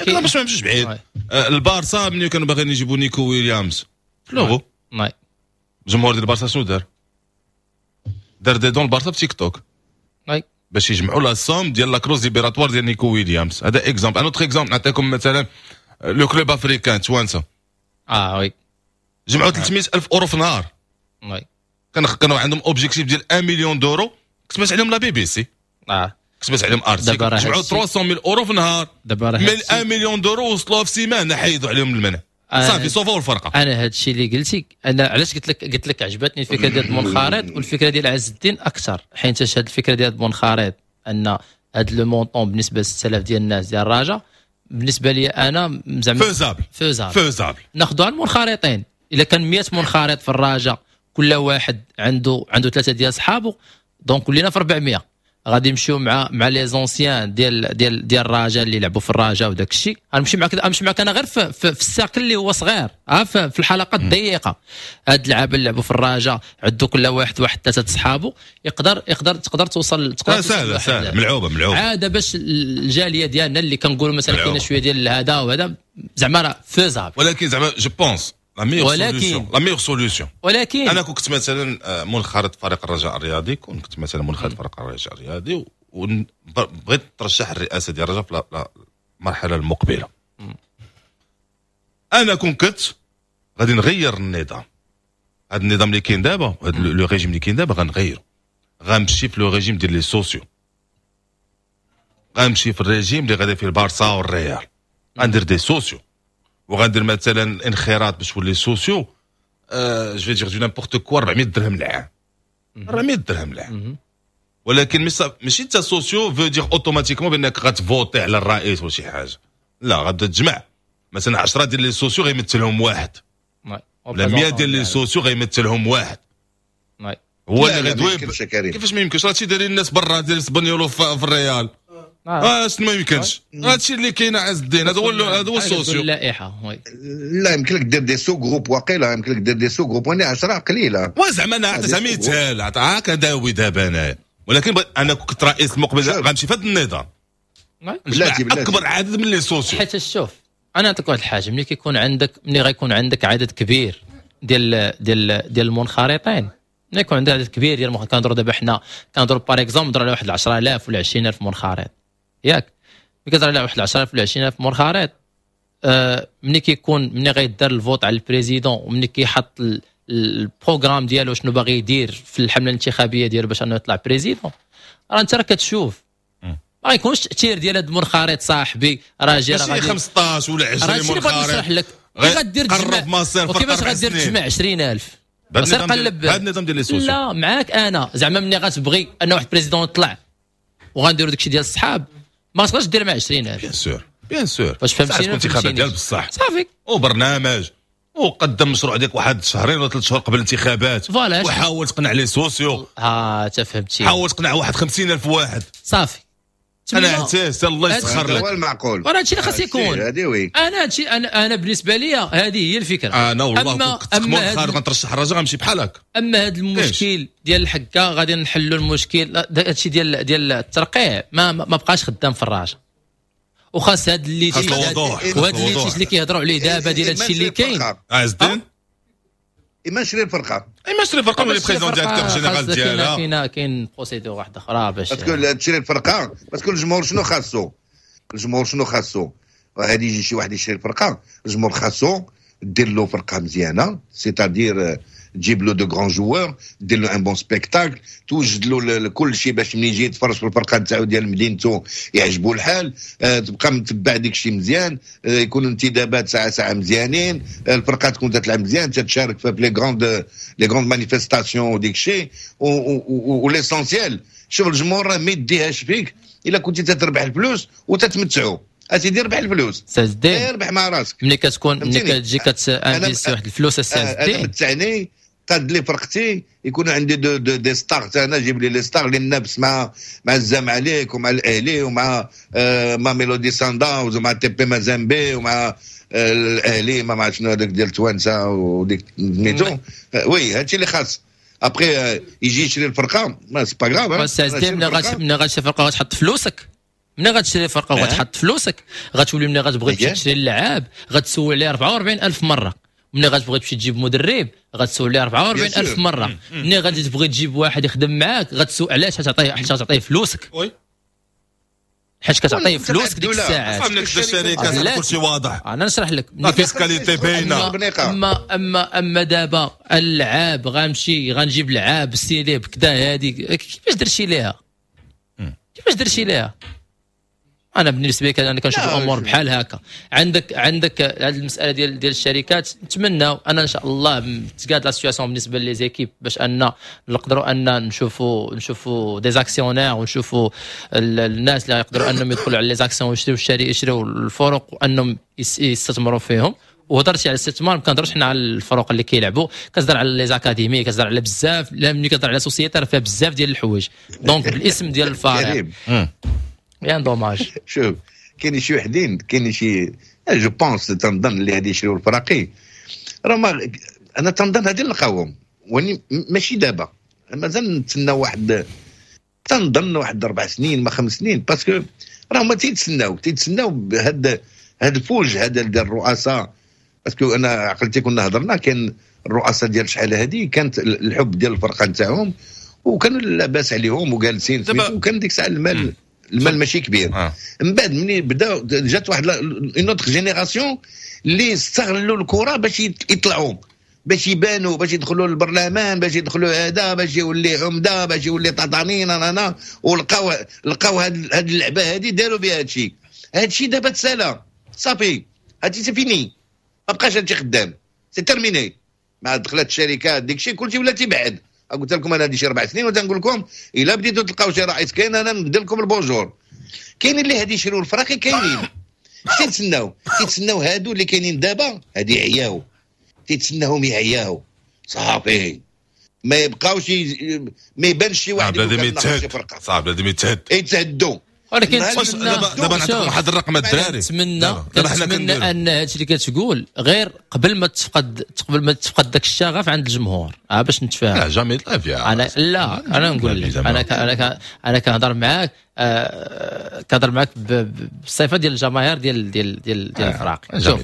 باش ما نمشيش بعيد، البارسا ملي كانوا باغيين يجيبوا نيكو ويليامز في l'euro، الجمهور ديال البارسا شنو دار؟ دار des dons البارسا في تيك توك باش يجمعوا la somme ديال la clause libératoire ديال نيكو ويليامز. هذا exemple. un autre exemple نعطيكم مثلا le Club Africain توانسة، اه oui، جمعوا ثلاثمية الف اورو في نهار، oui كان كانوا عندهم objectif ديال واحد مليون d'euros، كتبت عليهم la BBC، اه كتبت عليهم article، جمعوا ثلاثمية mille euros في نهار. دابا راه من واحد مليون d'euros وصلوها في سيمانه، حيدوا عليهم المنع، صافي صوفوا الفرقة. انا هذا الشيء اللي قلتي، انا علاش قلت لك قلت لك عجبتني الفكرة ديال منخرط والفكرة ديال عز الدين اكثر، حيت هذه الفكرة ديال منخرط ان هذا le montant بالنسبة ل ستة آلاف ديال الناس ديال الرجاء بالنسبة لي انا زعما faisable faisable faisable. ناخذوها المنخرطين، الا كان مية منخرط في الرجاء كل واحد عنده عنده ثلاثة ديال صحابه، donc ولينا في أربعمية. غادي نمشيو مع مع les anciens ديال ديال ديال الرجاء اللي لعبوا في الرجاء وداك الشيء. غنمشي معك غنمشي معك انا غير في, في, في ال cercle اللي هو صغير، ها في, في الحلقة الضيقه. هاد اللعابه اللي لعبوا في الرجاء عندو كل واحد واحد ثلاثة صحابه، يقدر يقدر تقدر توصل تقدر سهلة سهلة ملعوبه ملعوبه عادة باش الجالية ديالنا اللي كنقولوا مثلا كاينه شوية ديال هذا وهذا زعما راه faisable. ولكن زعما je pense la meilleure solution، la meilleure solution. ولكن انا كنت مثلا منخرط فريق الرجاء الرياضي، كنت مثلا منخرط فريق الرجاء الرياضي وبغيت ترشح الرئاسة ديال الرجاء في المرحلة المقبلة، انا كون كنت غادي نغير النظام، هذا النظام اللي كاين دابا، هذا le régime اللي كاين دابا غنغيرو، غنمشي في le régime ديال les socios، غنمشي في الريجيم اللي غادي فيه البارسا والريال، غندير des socios وغندير مثلا انخراط باش تولي socio، أه je vais dire du n'importe quoi أربعمية درهم العام، أربعمية درهم العام. ولكن ماشي انت socio veut dire automatiquement بانك غتفوتي على الرئيس ولا شي حاجة، لا غتبدا تجمع مثلا عشرة ديال les socios غيمثلهم واحد، ولا مية ديال les socios غيمثلهم واحد، هو اللي غيدوي. كيفاش ما يمكنش؟ هادشي دايرين الناس برا ديال سبانيولو في الريال، اه شنو ما يمكنش؟ هادشي اللي كاين عز الدين، هذا هو هذا هو ال socio. اللائحة لا يمكن لك دير des sous-groupes، واقيلا يمكن لك دير des sous-groupes، وانا عشرة قليله. وزعما انا عطيتها مثال، عطاك داوي دابا انايا، ولكن انا كنت رئيس المقبل غنمشي في هذا النظام بلاتي بلاتي اكبر عدد من les socios. حيت شوف انا نعطيك واحد الحاجة، ملي كيكون عندك ملي غيكون عندك عدد كبير ديال ديال ديال المنخرطين، ملي يكون عندك عدد كبير ديال المنخرطين، كنهضروا دابا حنا كنهضروا par exemple نهضروا على واحد عشرة آلاف ولا عشرين ألف منخرط، ياك؟ ملي كتهضر على واحد عشرة آلاف ولا عشرين ألف منخرط، آه ملي كيكون ملي غيدار ال vote على ال président وملي كيحط ال programme ديالو شنو باغي يدير في الحملة الانتخابية ديالو باش انه يطلع président، راه انت راه كتشوف ما غيكونش التاثير ديال هذا المنخرط صاحبي راه جا راه غادي خمسطاش ولا عشرين منخرط. نشرح لك كيف غدير تجمع وكيفاش غدير تجمع عشرين ألف. سير قلب هذا النظام ديال les socios. لا معاك انا زعما ملي غتبغي ان واحد président يطلع وغنديروا داكشي ديال الصحاب، ما تقدرش دير مع عشرين ألف. bien sûr bien sûr. واش فهمتيني؟ انتخابات ديال بصح صافي وبرنامج وقدم مشروع ديالك واحد شهرين ولا ثلاث شهور قبل الانتخابات، وحاول تقنع les socios. اه انت فهمتي، حاول تقنع واحد خمسين ألف واحد صافي. انا اعتز الله يسخر لك، هو المعقول. راه هادشي اللي خاص يكون. انا هادشي انا انا بالنسبة لي هذه هي الفكرة. انا والله كنت مؤخرا غنترشح الرجاء غنمشي بحال هكا. اما هذا المشكل ديال الحكة غادي نحلوا المشكل. هادشي ديال ديال الترقيع ما ما بقاش خدام في الرجاء، وخاص هاد اللي وهاد اللي اللي كيهضروا عليه دابا ديال هادشي اللي كاين. عز الدين اما نشري الفرقة، اما نشري الفرقة ولا président directeur général ديالها. كاين كاين procédure واحدة اخرى باش parce que تشري الفرقة. parce que الجمهور شنو خاصو؟ الجمهور شنو خاصو؟ غادي يجي شي واحد يشري الفرقة، الجمهور خاصو دير له فرقه مزيانه، c'est-à-dire تجيب له de grands joueurs، دير له un bon spectacle، توجد له كل شيء باش ملي يجي يتفرج في الفرقة نتاعو ديال مدينته يعجبو الحال، أه تبقى متبع ديك الشيء مزيان، أه يكونوا انتدابات ساعة ساعة مزيانين، أه الفرقة تكون تتلعب مزيان، تتشارك في les grandes les grandes manifestations وديك الشيء و l'essentiel. شوف الجمهور راه ما يديهاش فيك الا كنتي تتربح الفلوس وتتمتعو. اسيدي ربح الفلوس، ربح مع راسك. ملي كتكون ملي كتجي كت investir واحد الفلوس السي انا متعني قاد لي فرقتي، يكون عندي دو دو des stars. انا جيب لي les stars اللي ننافس مع مع الزمالك ومع الاهلي ومع آه ماميلودي سانداونز ومع تي بي مازامبي ومع آه الاهلي ما عرفت شنو هذاك ديال توانسة وديك سميتو. oui هادشي اللي خاص. après يجي يشري الفرقة mais c'est pas grave. بس ملي غتشري الفرقة غتحط فلوسك، ملي غتشري فرقه وغتحط فلوسك غتولي ملي غتبغي تمشي تشري اللعاب غتسول عليه أربعة وأربعين ألف مرة، ملي غتبغي تمشي تجيب مدرب غتسول عليه أربعة وأربعين ألف مرة، ملي غادي تبغي تجيب واحد يخدم معاك غتسول علاش تعطيه، حيت تعطيه فلوسك. oui حيت كتعطيه فلوسك ديك الساعات. فهمت الشركة كلشي واضح. انا نشرح لك la fiscalité باينة. اما اما اما دابا اللعاب غنمشي غنجيب لعاب سيري بكذا، هذه كيفاش درتي ليها؟ كيفاش درتي ليها؟ انا بالنسبة لي انا كنشوف الامور بحال هكا. عندك عندك هذه المسالة ديال ديال الشركات، نتمنى انا ان شاء الله تقاد la situation بالنسبة les équipes باش ان نقدروا ان نشوفوا نشوفوا des actionnaires ونشوفوا الناس اللي يقدروا انهم يدخلوا على les actions ويشريو الشري يشريو الفرق وانهم يستثمروا فيهم. وهضرتي على الاستثمار، ما كنهضرش حنا على الفرق اللي كيلعبوا، كتهضر على les académies، كتهضر على بزاف. لا ملي كتهضر على société راه فيها بزاف ديال الحوايج. donc بالاسم ديال الفريق bien dommage. شوف كاين شي وحدين، كاين شي je pense تنظن اللي غادي يشريو الفراقي راه ما انا تنظن غادي نلقاوهم، وني ماشي دابا، مازال نتسنى واحد تنظن واحد اربع سنين ما خمس سنين، parce que راه هما تيتسناو تيتسناو بهاد هاد الفوج هذا ديال الرؤساء. parce que انا عقلتي كنا هضرنا، كان الرؤساء ديال شحال هادي كانت الحب ديال الفرقة نتاعهم وكانوا لاباس عليهم وجالسين، وكان ديك الساعة المال المال ماشي كبير. آه. من بعد ملي بدا جات واحد une autre génération اللي استغلوا الكره باش يطلعوا، باش يبانوا، باش يدخلوا للبرلمان، باش يدخلوا هذا، باش يولي عمده، باش يولي طاطانين انا، ولقاو لقاو هاد هاد اللعبة هادي داروا بها هادشي. هادشي دابا تسالى صافي، هادشي c'est fini، ما بقاش هادشي خدام، c'est terminé. مع دخلت الشركات ديك كلشي ولا تيبعد. قلت لكم انا هادي شي اربع سنين وتنقول لكم الا بديتوا تلقاو شي رئيس كاين انا نبدا لكم ال bonjour. كاين اللي هادي يشريو الفراقي كاينين، تيتسناو تيتسناو هادو اللي كاينين دابا هادي يعياو، تيتسناهم يعياو صافي، ما يبقاوش ما يبانش شي واحد بنادم يتهد، صعب بنادم يتهد يتهدوا. ولكن دابا دابا نعطيكم واحد الرقم الدراري. نتمنى نتمنى ان هادشي اللي كتقول غير قبل ما تفقد قبل ما تفقد داك الشغف عند الجمهور، اه باش نتفاهم. لا jamais لا فيها. انا لا انا نقول لك انا انا انا كنهضر معاك آه كنهضر معاك بالصفة ديال الجماهير ديال ديال ديال ديال الفراقي. شوف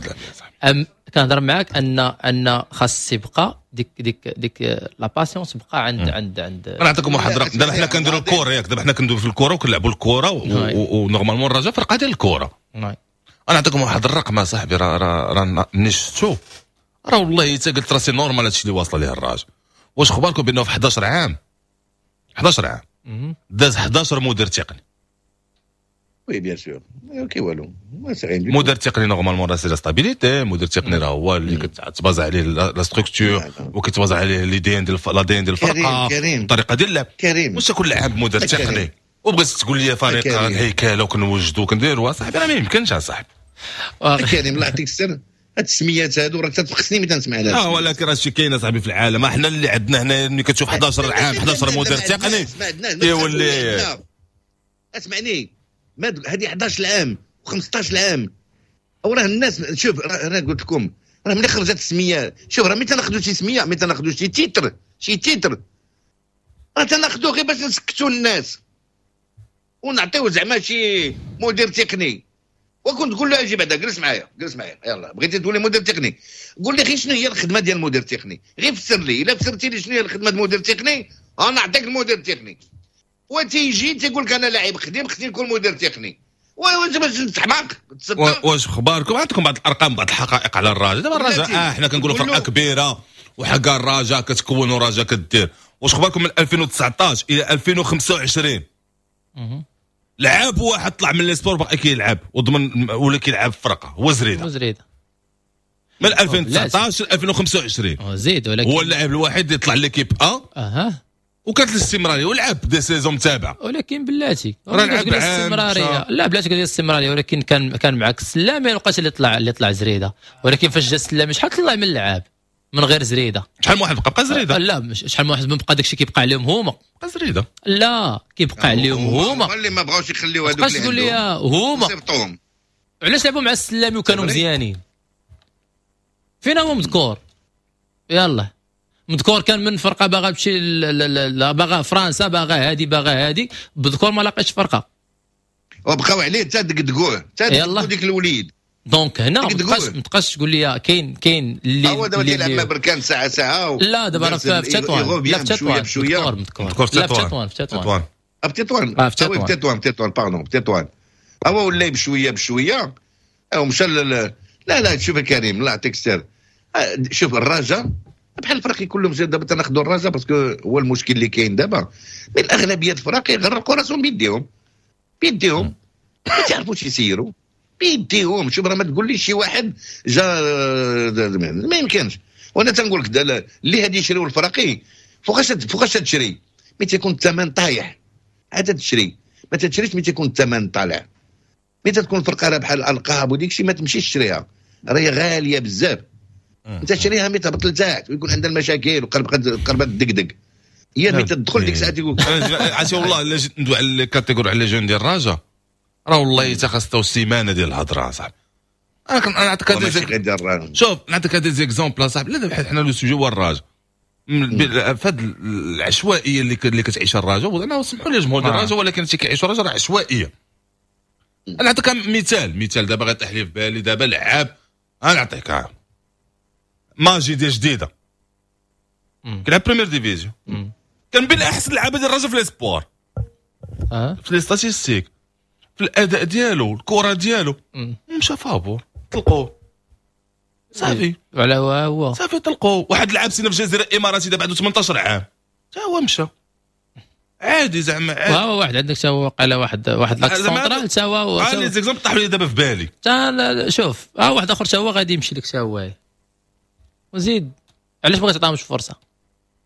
كنهضر معاك ان ان خاص يبقى ديك ديك ديك la passion تبقى عند عند عند. انا نعطيكم واحد الرقم. دابا حنا كنديروا الكره ياك، دابا حنا كندويو في الكره وكنلعبوا الكره و normalement الرجاء فرقه ديال الكره. انا نعطيكم واحد الرقم اصاحبي، راه راه راه نشتو راه والله حتى قلت راسي normal هادشي اللي واصله ليه الرجاء. واش اخباركم بانه في حداش عام حداش عام داز حداش مدير تقني؟ oui bien sûr كي والو مدير تقني normalement راه c'est la stabilité. مدير تقني راه هو اللي كتباز عليه la structure وكتباز عليه l'ADN ديال l'ADN ديال الفرقة الطريقة ديال اللعب. واش كل عام مدير تقني وبغيت تقول لي فريق الهيكله وكنوجدوا وكنديروا صاحبي راه ما يمكنش اصاحبي. كريم الله يعطيك السر، هاد السميات هادو راه تتفقسني ملي تنسمع لها. اه ولكن راه شي كاين اصاحبي في العالم، احنا اللي عندنا هنا ملي كتشوف احد عشر عام احد عشر مدير تقني كيولي. اسمعني، هذه احد عشر عام وخمسطاش عام وراه الناس. شوف راه قلت لكم راه ملي خرجت السمية، شوف راه ملي تناخذوا شي سميه، ملي تناخذوا شي titre شي titre راه تناخذوه غير باش نسكتوا الناس ونعطيو زعما شي مدير تقني. وكنت تقول له اجي بعدا جلس معايا جلس معايا، يلاه بغيتي تولي مدير تقني قول لي غير شنو هي الخدمة ديال المدير التقني، غير فسر لي. الا فسرتي لي شنو هي الخدمة ديال المدير التقني انا نعطيك المدير التقني. وتيجي تيقول لك انا لاعب خديم خصني نكون مدير تقني. واش باش تحماق؟ واش اخباركم؟ عندكم بعض الارقام بعض الحقائق على الرجاء. دابا الرجاء اه حنا كنقولوا فرقه كبيرة وحق الرجاء كتكون ورجاء كدير. واش اخباركم من ألفين وتسعطاش الى ألفين وخمسة وعشرين لعب واحد طلع من les espoirs باقي كيلعب وضمن ولا كيلعب في فرقه هو زريده. زريده من ألفين وتسعطاش ل ألفين وخمسة وعشرين زيد، ولكن هو اللاعب الوحيد اللي طلع l'équipe A اها وكانت الاستمرارية ولعب des saisons متابعه. ولكن بلاتي راه لعب الاستمرارية، لا بلاتي كدير الاستمرارية، ولكن كان كان معك السلامي الوقت اللي طلع اللي طلع زريده، ولكن فاش جا السلامي شحال طلع من اللعاب من غير زريده؟ شحال من واحد بقى بقى زريده؟ لا شحال من واحد بقى داكشي كيبقى عليهم هما. بقى زريده لا كيبقى عليهم هما اللي ما بغاوش يخليو هذوك اللي تقول لي هما علاش لعبوا مع السلامي وكانوا مزيانين؟ فين هو مذكور؟ يلا مذكور كان من فرقه باغا تمشي باغا فرنسا باغا هادي باغا هادي، بذكور ما لاقيش فرقه وبقاو عليه حتى دقدقوه حتى دقدقوا ديك الوليد. donc هنا ما تبقاش ما تبقاش تقول لي كاين كاين اللي هو دابا تيلعب مع بركان ساعة ساعة و... لا دابا راه في تطوان، لا في تطوان مذكور لا في تطوان، في تطوان في تطوان في تطوان في تطوان في تطوان pardon في تطوان. هو ولا بشوية بشوية او مشى. لا لا شوف كريم الله يعطيك السر، شوف الرجاء بحال الفراقي كلهم دابا تناخذوا الرجاء parce que هو المشكل اللي كاين دابا، من الاغلبية الفراقي غرقوا راسهم بيديهم بيديهم ما تعرفوش يسيروا بيديهم. شوف راه ما تقوليش شي واحد جا ما يمكنش. وانا تنقول لك اللي هادي يشريو الفراقي فوقاش فوقاش تشري؟ ملي تيكون الثمن طايح عاد تشري، ما تشريش ملي تيكون الثمن طالع. ملي تكون الفرقة راه بحال الالقاب وديك الشيء ما تمشيش تشريها، راهي غالية بزاف. انت تشريها ملي تهبط لتحت ويكون عندها المشاكل وقربت قربت دقدق، هي ملي تدخل ديك الساعة تيقول عرفتي. والله الا جيت ندوي على les catégories على les jeunes ديال الرجاء راه والله حتى خاصو سيمانه ديال الهضرة صاحبي. انا كنعطيك هاد شوف نعطيك هاد des exemples صاحبي. لا دابا حنا le sujet هو الرجاء فهاد العشوائية اللي اللي كتعيش الرجاء. انا سمحوا لي الجمهور ديال الرجاء ولكن اللي كيعيشوا الرجاء راه عشوائية. انا نعطيك مثال مثال دابا غيطيح لي في بالي دابا لعاب، انا نعطيك ماجي ديال جديدة كيلعب première division، كان بين احسن لعابه ديال الرجاء في les espoirs في les statistiques في الاداء ديالو الكره ديالو، مشى فابور طلقوه صافي. على هو هو صافي طلقوه. واحد لعب سنة في الجزيرة الاماراتي دابا عنده ثمنطاش عام حتى هو مشى عادي زعما عادي. هو واحد عندك تا هو وقع واحد واحد l'axe central تا هو اه les exemples طاحوا لي دابا في بالي. تا شوف اه واحد اخر تا هو غادي يمشي لك تا هو. وزيد علاش بغيت تعطيهمش فرصة؟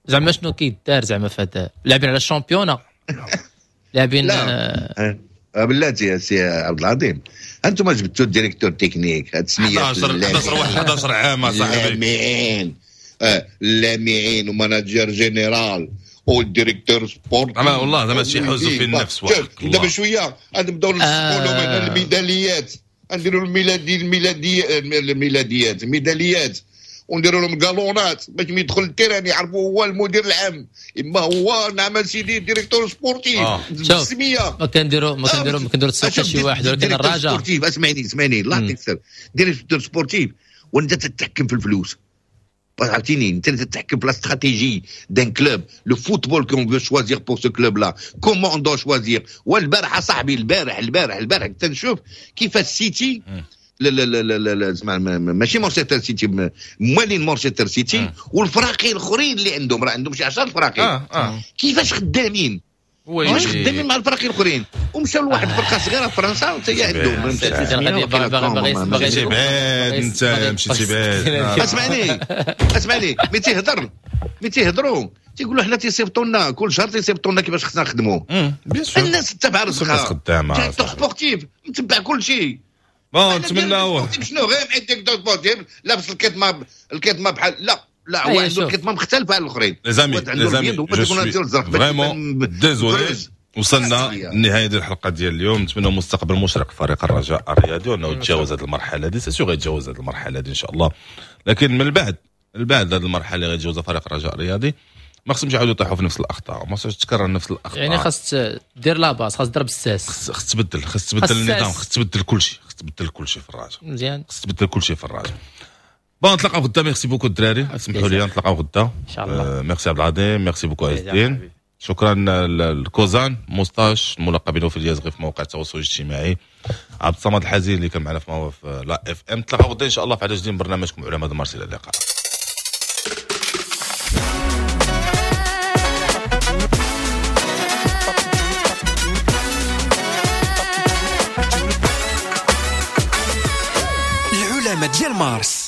زعما شنو كيدار زعما في هذا؟ لاعبين على ال championnat لاعبين آه بلاتي يا سي عبد العظيم، انتم جبتوا ال directeur technique هاد السميات احد عشر واحد احد عشر عام صاحبي لامعين آه لامعين و manager général وال directeur sport. زعما والله زعما شي حزن في النفس. دابا شوية غنبداو نلصقوا لهم هنا الميداليات، نديروا الميلادي الميلادي الميلاديات الميداليات ونديروا لهم كالونات باش ملي يدخل ال terrain يعرفوا هو المدير العام اما هو نعم سيدي directeur sportif بالسميه. ما كنديروا ما كنديروا ما كنديروا تسوق شي واحد، ولكن الرجاء sportif. اسمعني اسمعني الله يعطيك السر، directeur sportif وانت تتحكم في الفلوس، عرفتيني انت اللي تتحكم في la stratégie d'un club، le football qu'on veut choisir pour ce club-là، comment on doit choisir. والبارح صاحبي البارح البارح البارح كنت نشوف كيفاش السيتي لا لا لا لا لا زعما ماشي مانشستر سيتي، موالين مانشستر سيتي والفراقي الاخرين اللي عندهم راه عندهم شي عشرة فراقي. آه آه. كيفاش خدامين كيفاش خدامين مع الفراقي الاخرين ومشاو لواحد الفرقة صغيرة في فرنسا وحتى هي عندهم. مشيتي بعيد انت، مشيتي بعيد. اسمعني اسمعني ملي تيهضر ملي تيهضروا تيقولوا حنا تيصيفطوا لنا كل شهر تيصيفطوا لنا كيفاش خصنا نخدموا. bien sûr الناس تتبع رزقها، خدامه directeur sportif متبع كل شيء. bon نتمناو شنو غير directeur sportif لابس الكتمه الكتمه بحال لا لا هو عنده الكتمه مختلفة على الاخرين. les amis les amis je suis vraiment désolé، وصلنا لنهاية ديال الحلقة ديال اليوم. نتمنى مستقبل مشرق فريق الرجاء الرياضي وانه يتجاوز هذه المرحلة هذه، c'est sûr غيتجاوز هذه المرحلة هذه ان شاء الله، لكن من بعد من بعد هذه المرحلة اللي غيتجاوزها فريق الرجاء الرياضي ما خصهمش يعاودوا يطيحوا في نفس الاخطاء، ما خصهمش تكرر نفس الاخطاء. يعني خاص دير la base، خاص تضرب الساس، خص تبدل خص تبدل النظام، خص تبدل كل شيء، خص تبدل كل شيء في الرجاء مزيان، خص تبدل كل شيء في الرجاء. bon نتلاقاو غدا. merci beaucoup الدراري، سمحوا لي نتلاقاو غدا ان شاء الله. ميرسي عبد العظيم، merci beaucoup عز الدين، شكرا الكوزان موستاش الملقب في اليازغي في مواقع التواصل الاجتماعي، عبد الصمد الحزين اللي كان معنا في la FM. نتلاقاو غدا ان شاء الله في عدد جديد من برنامجكم علماء مارس. الى اللقاء. العلماء ديال مارس.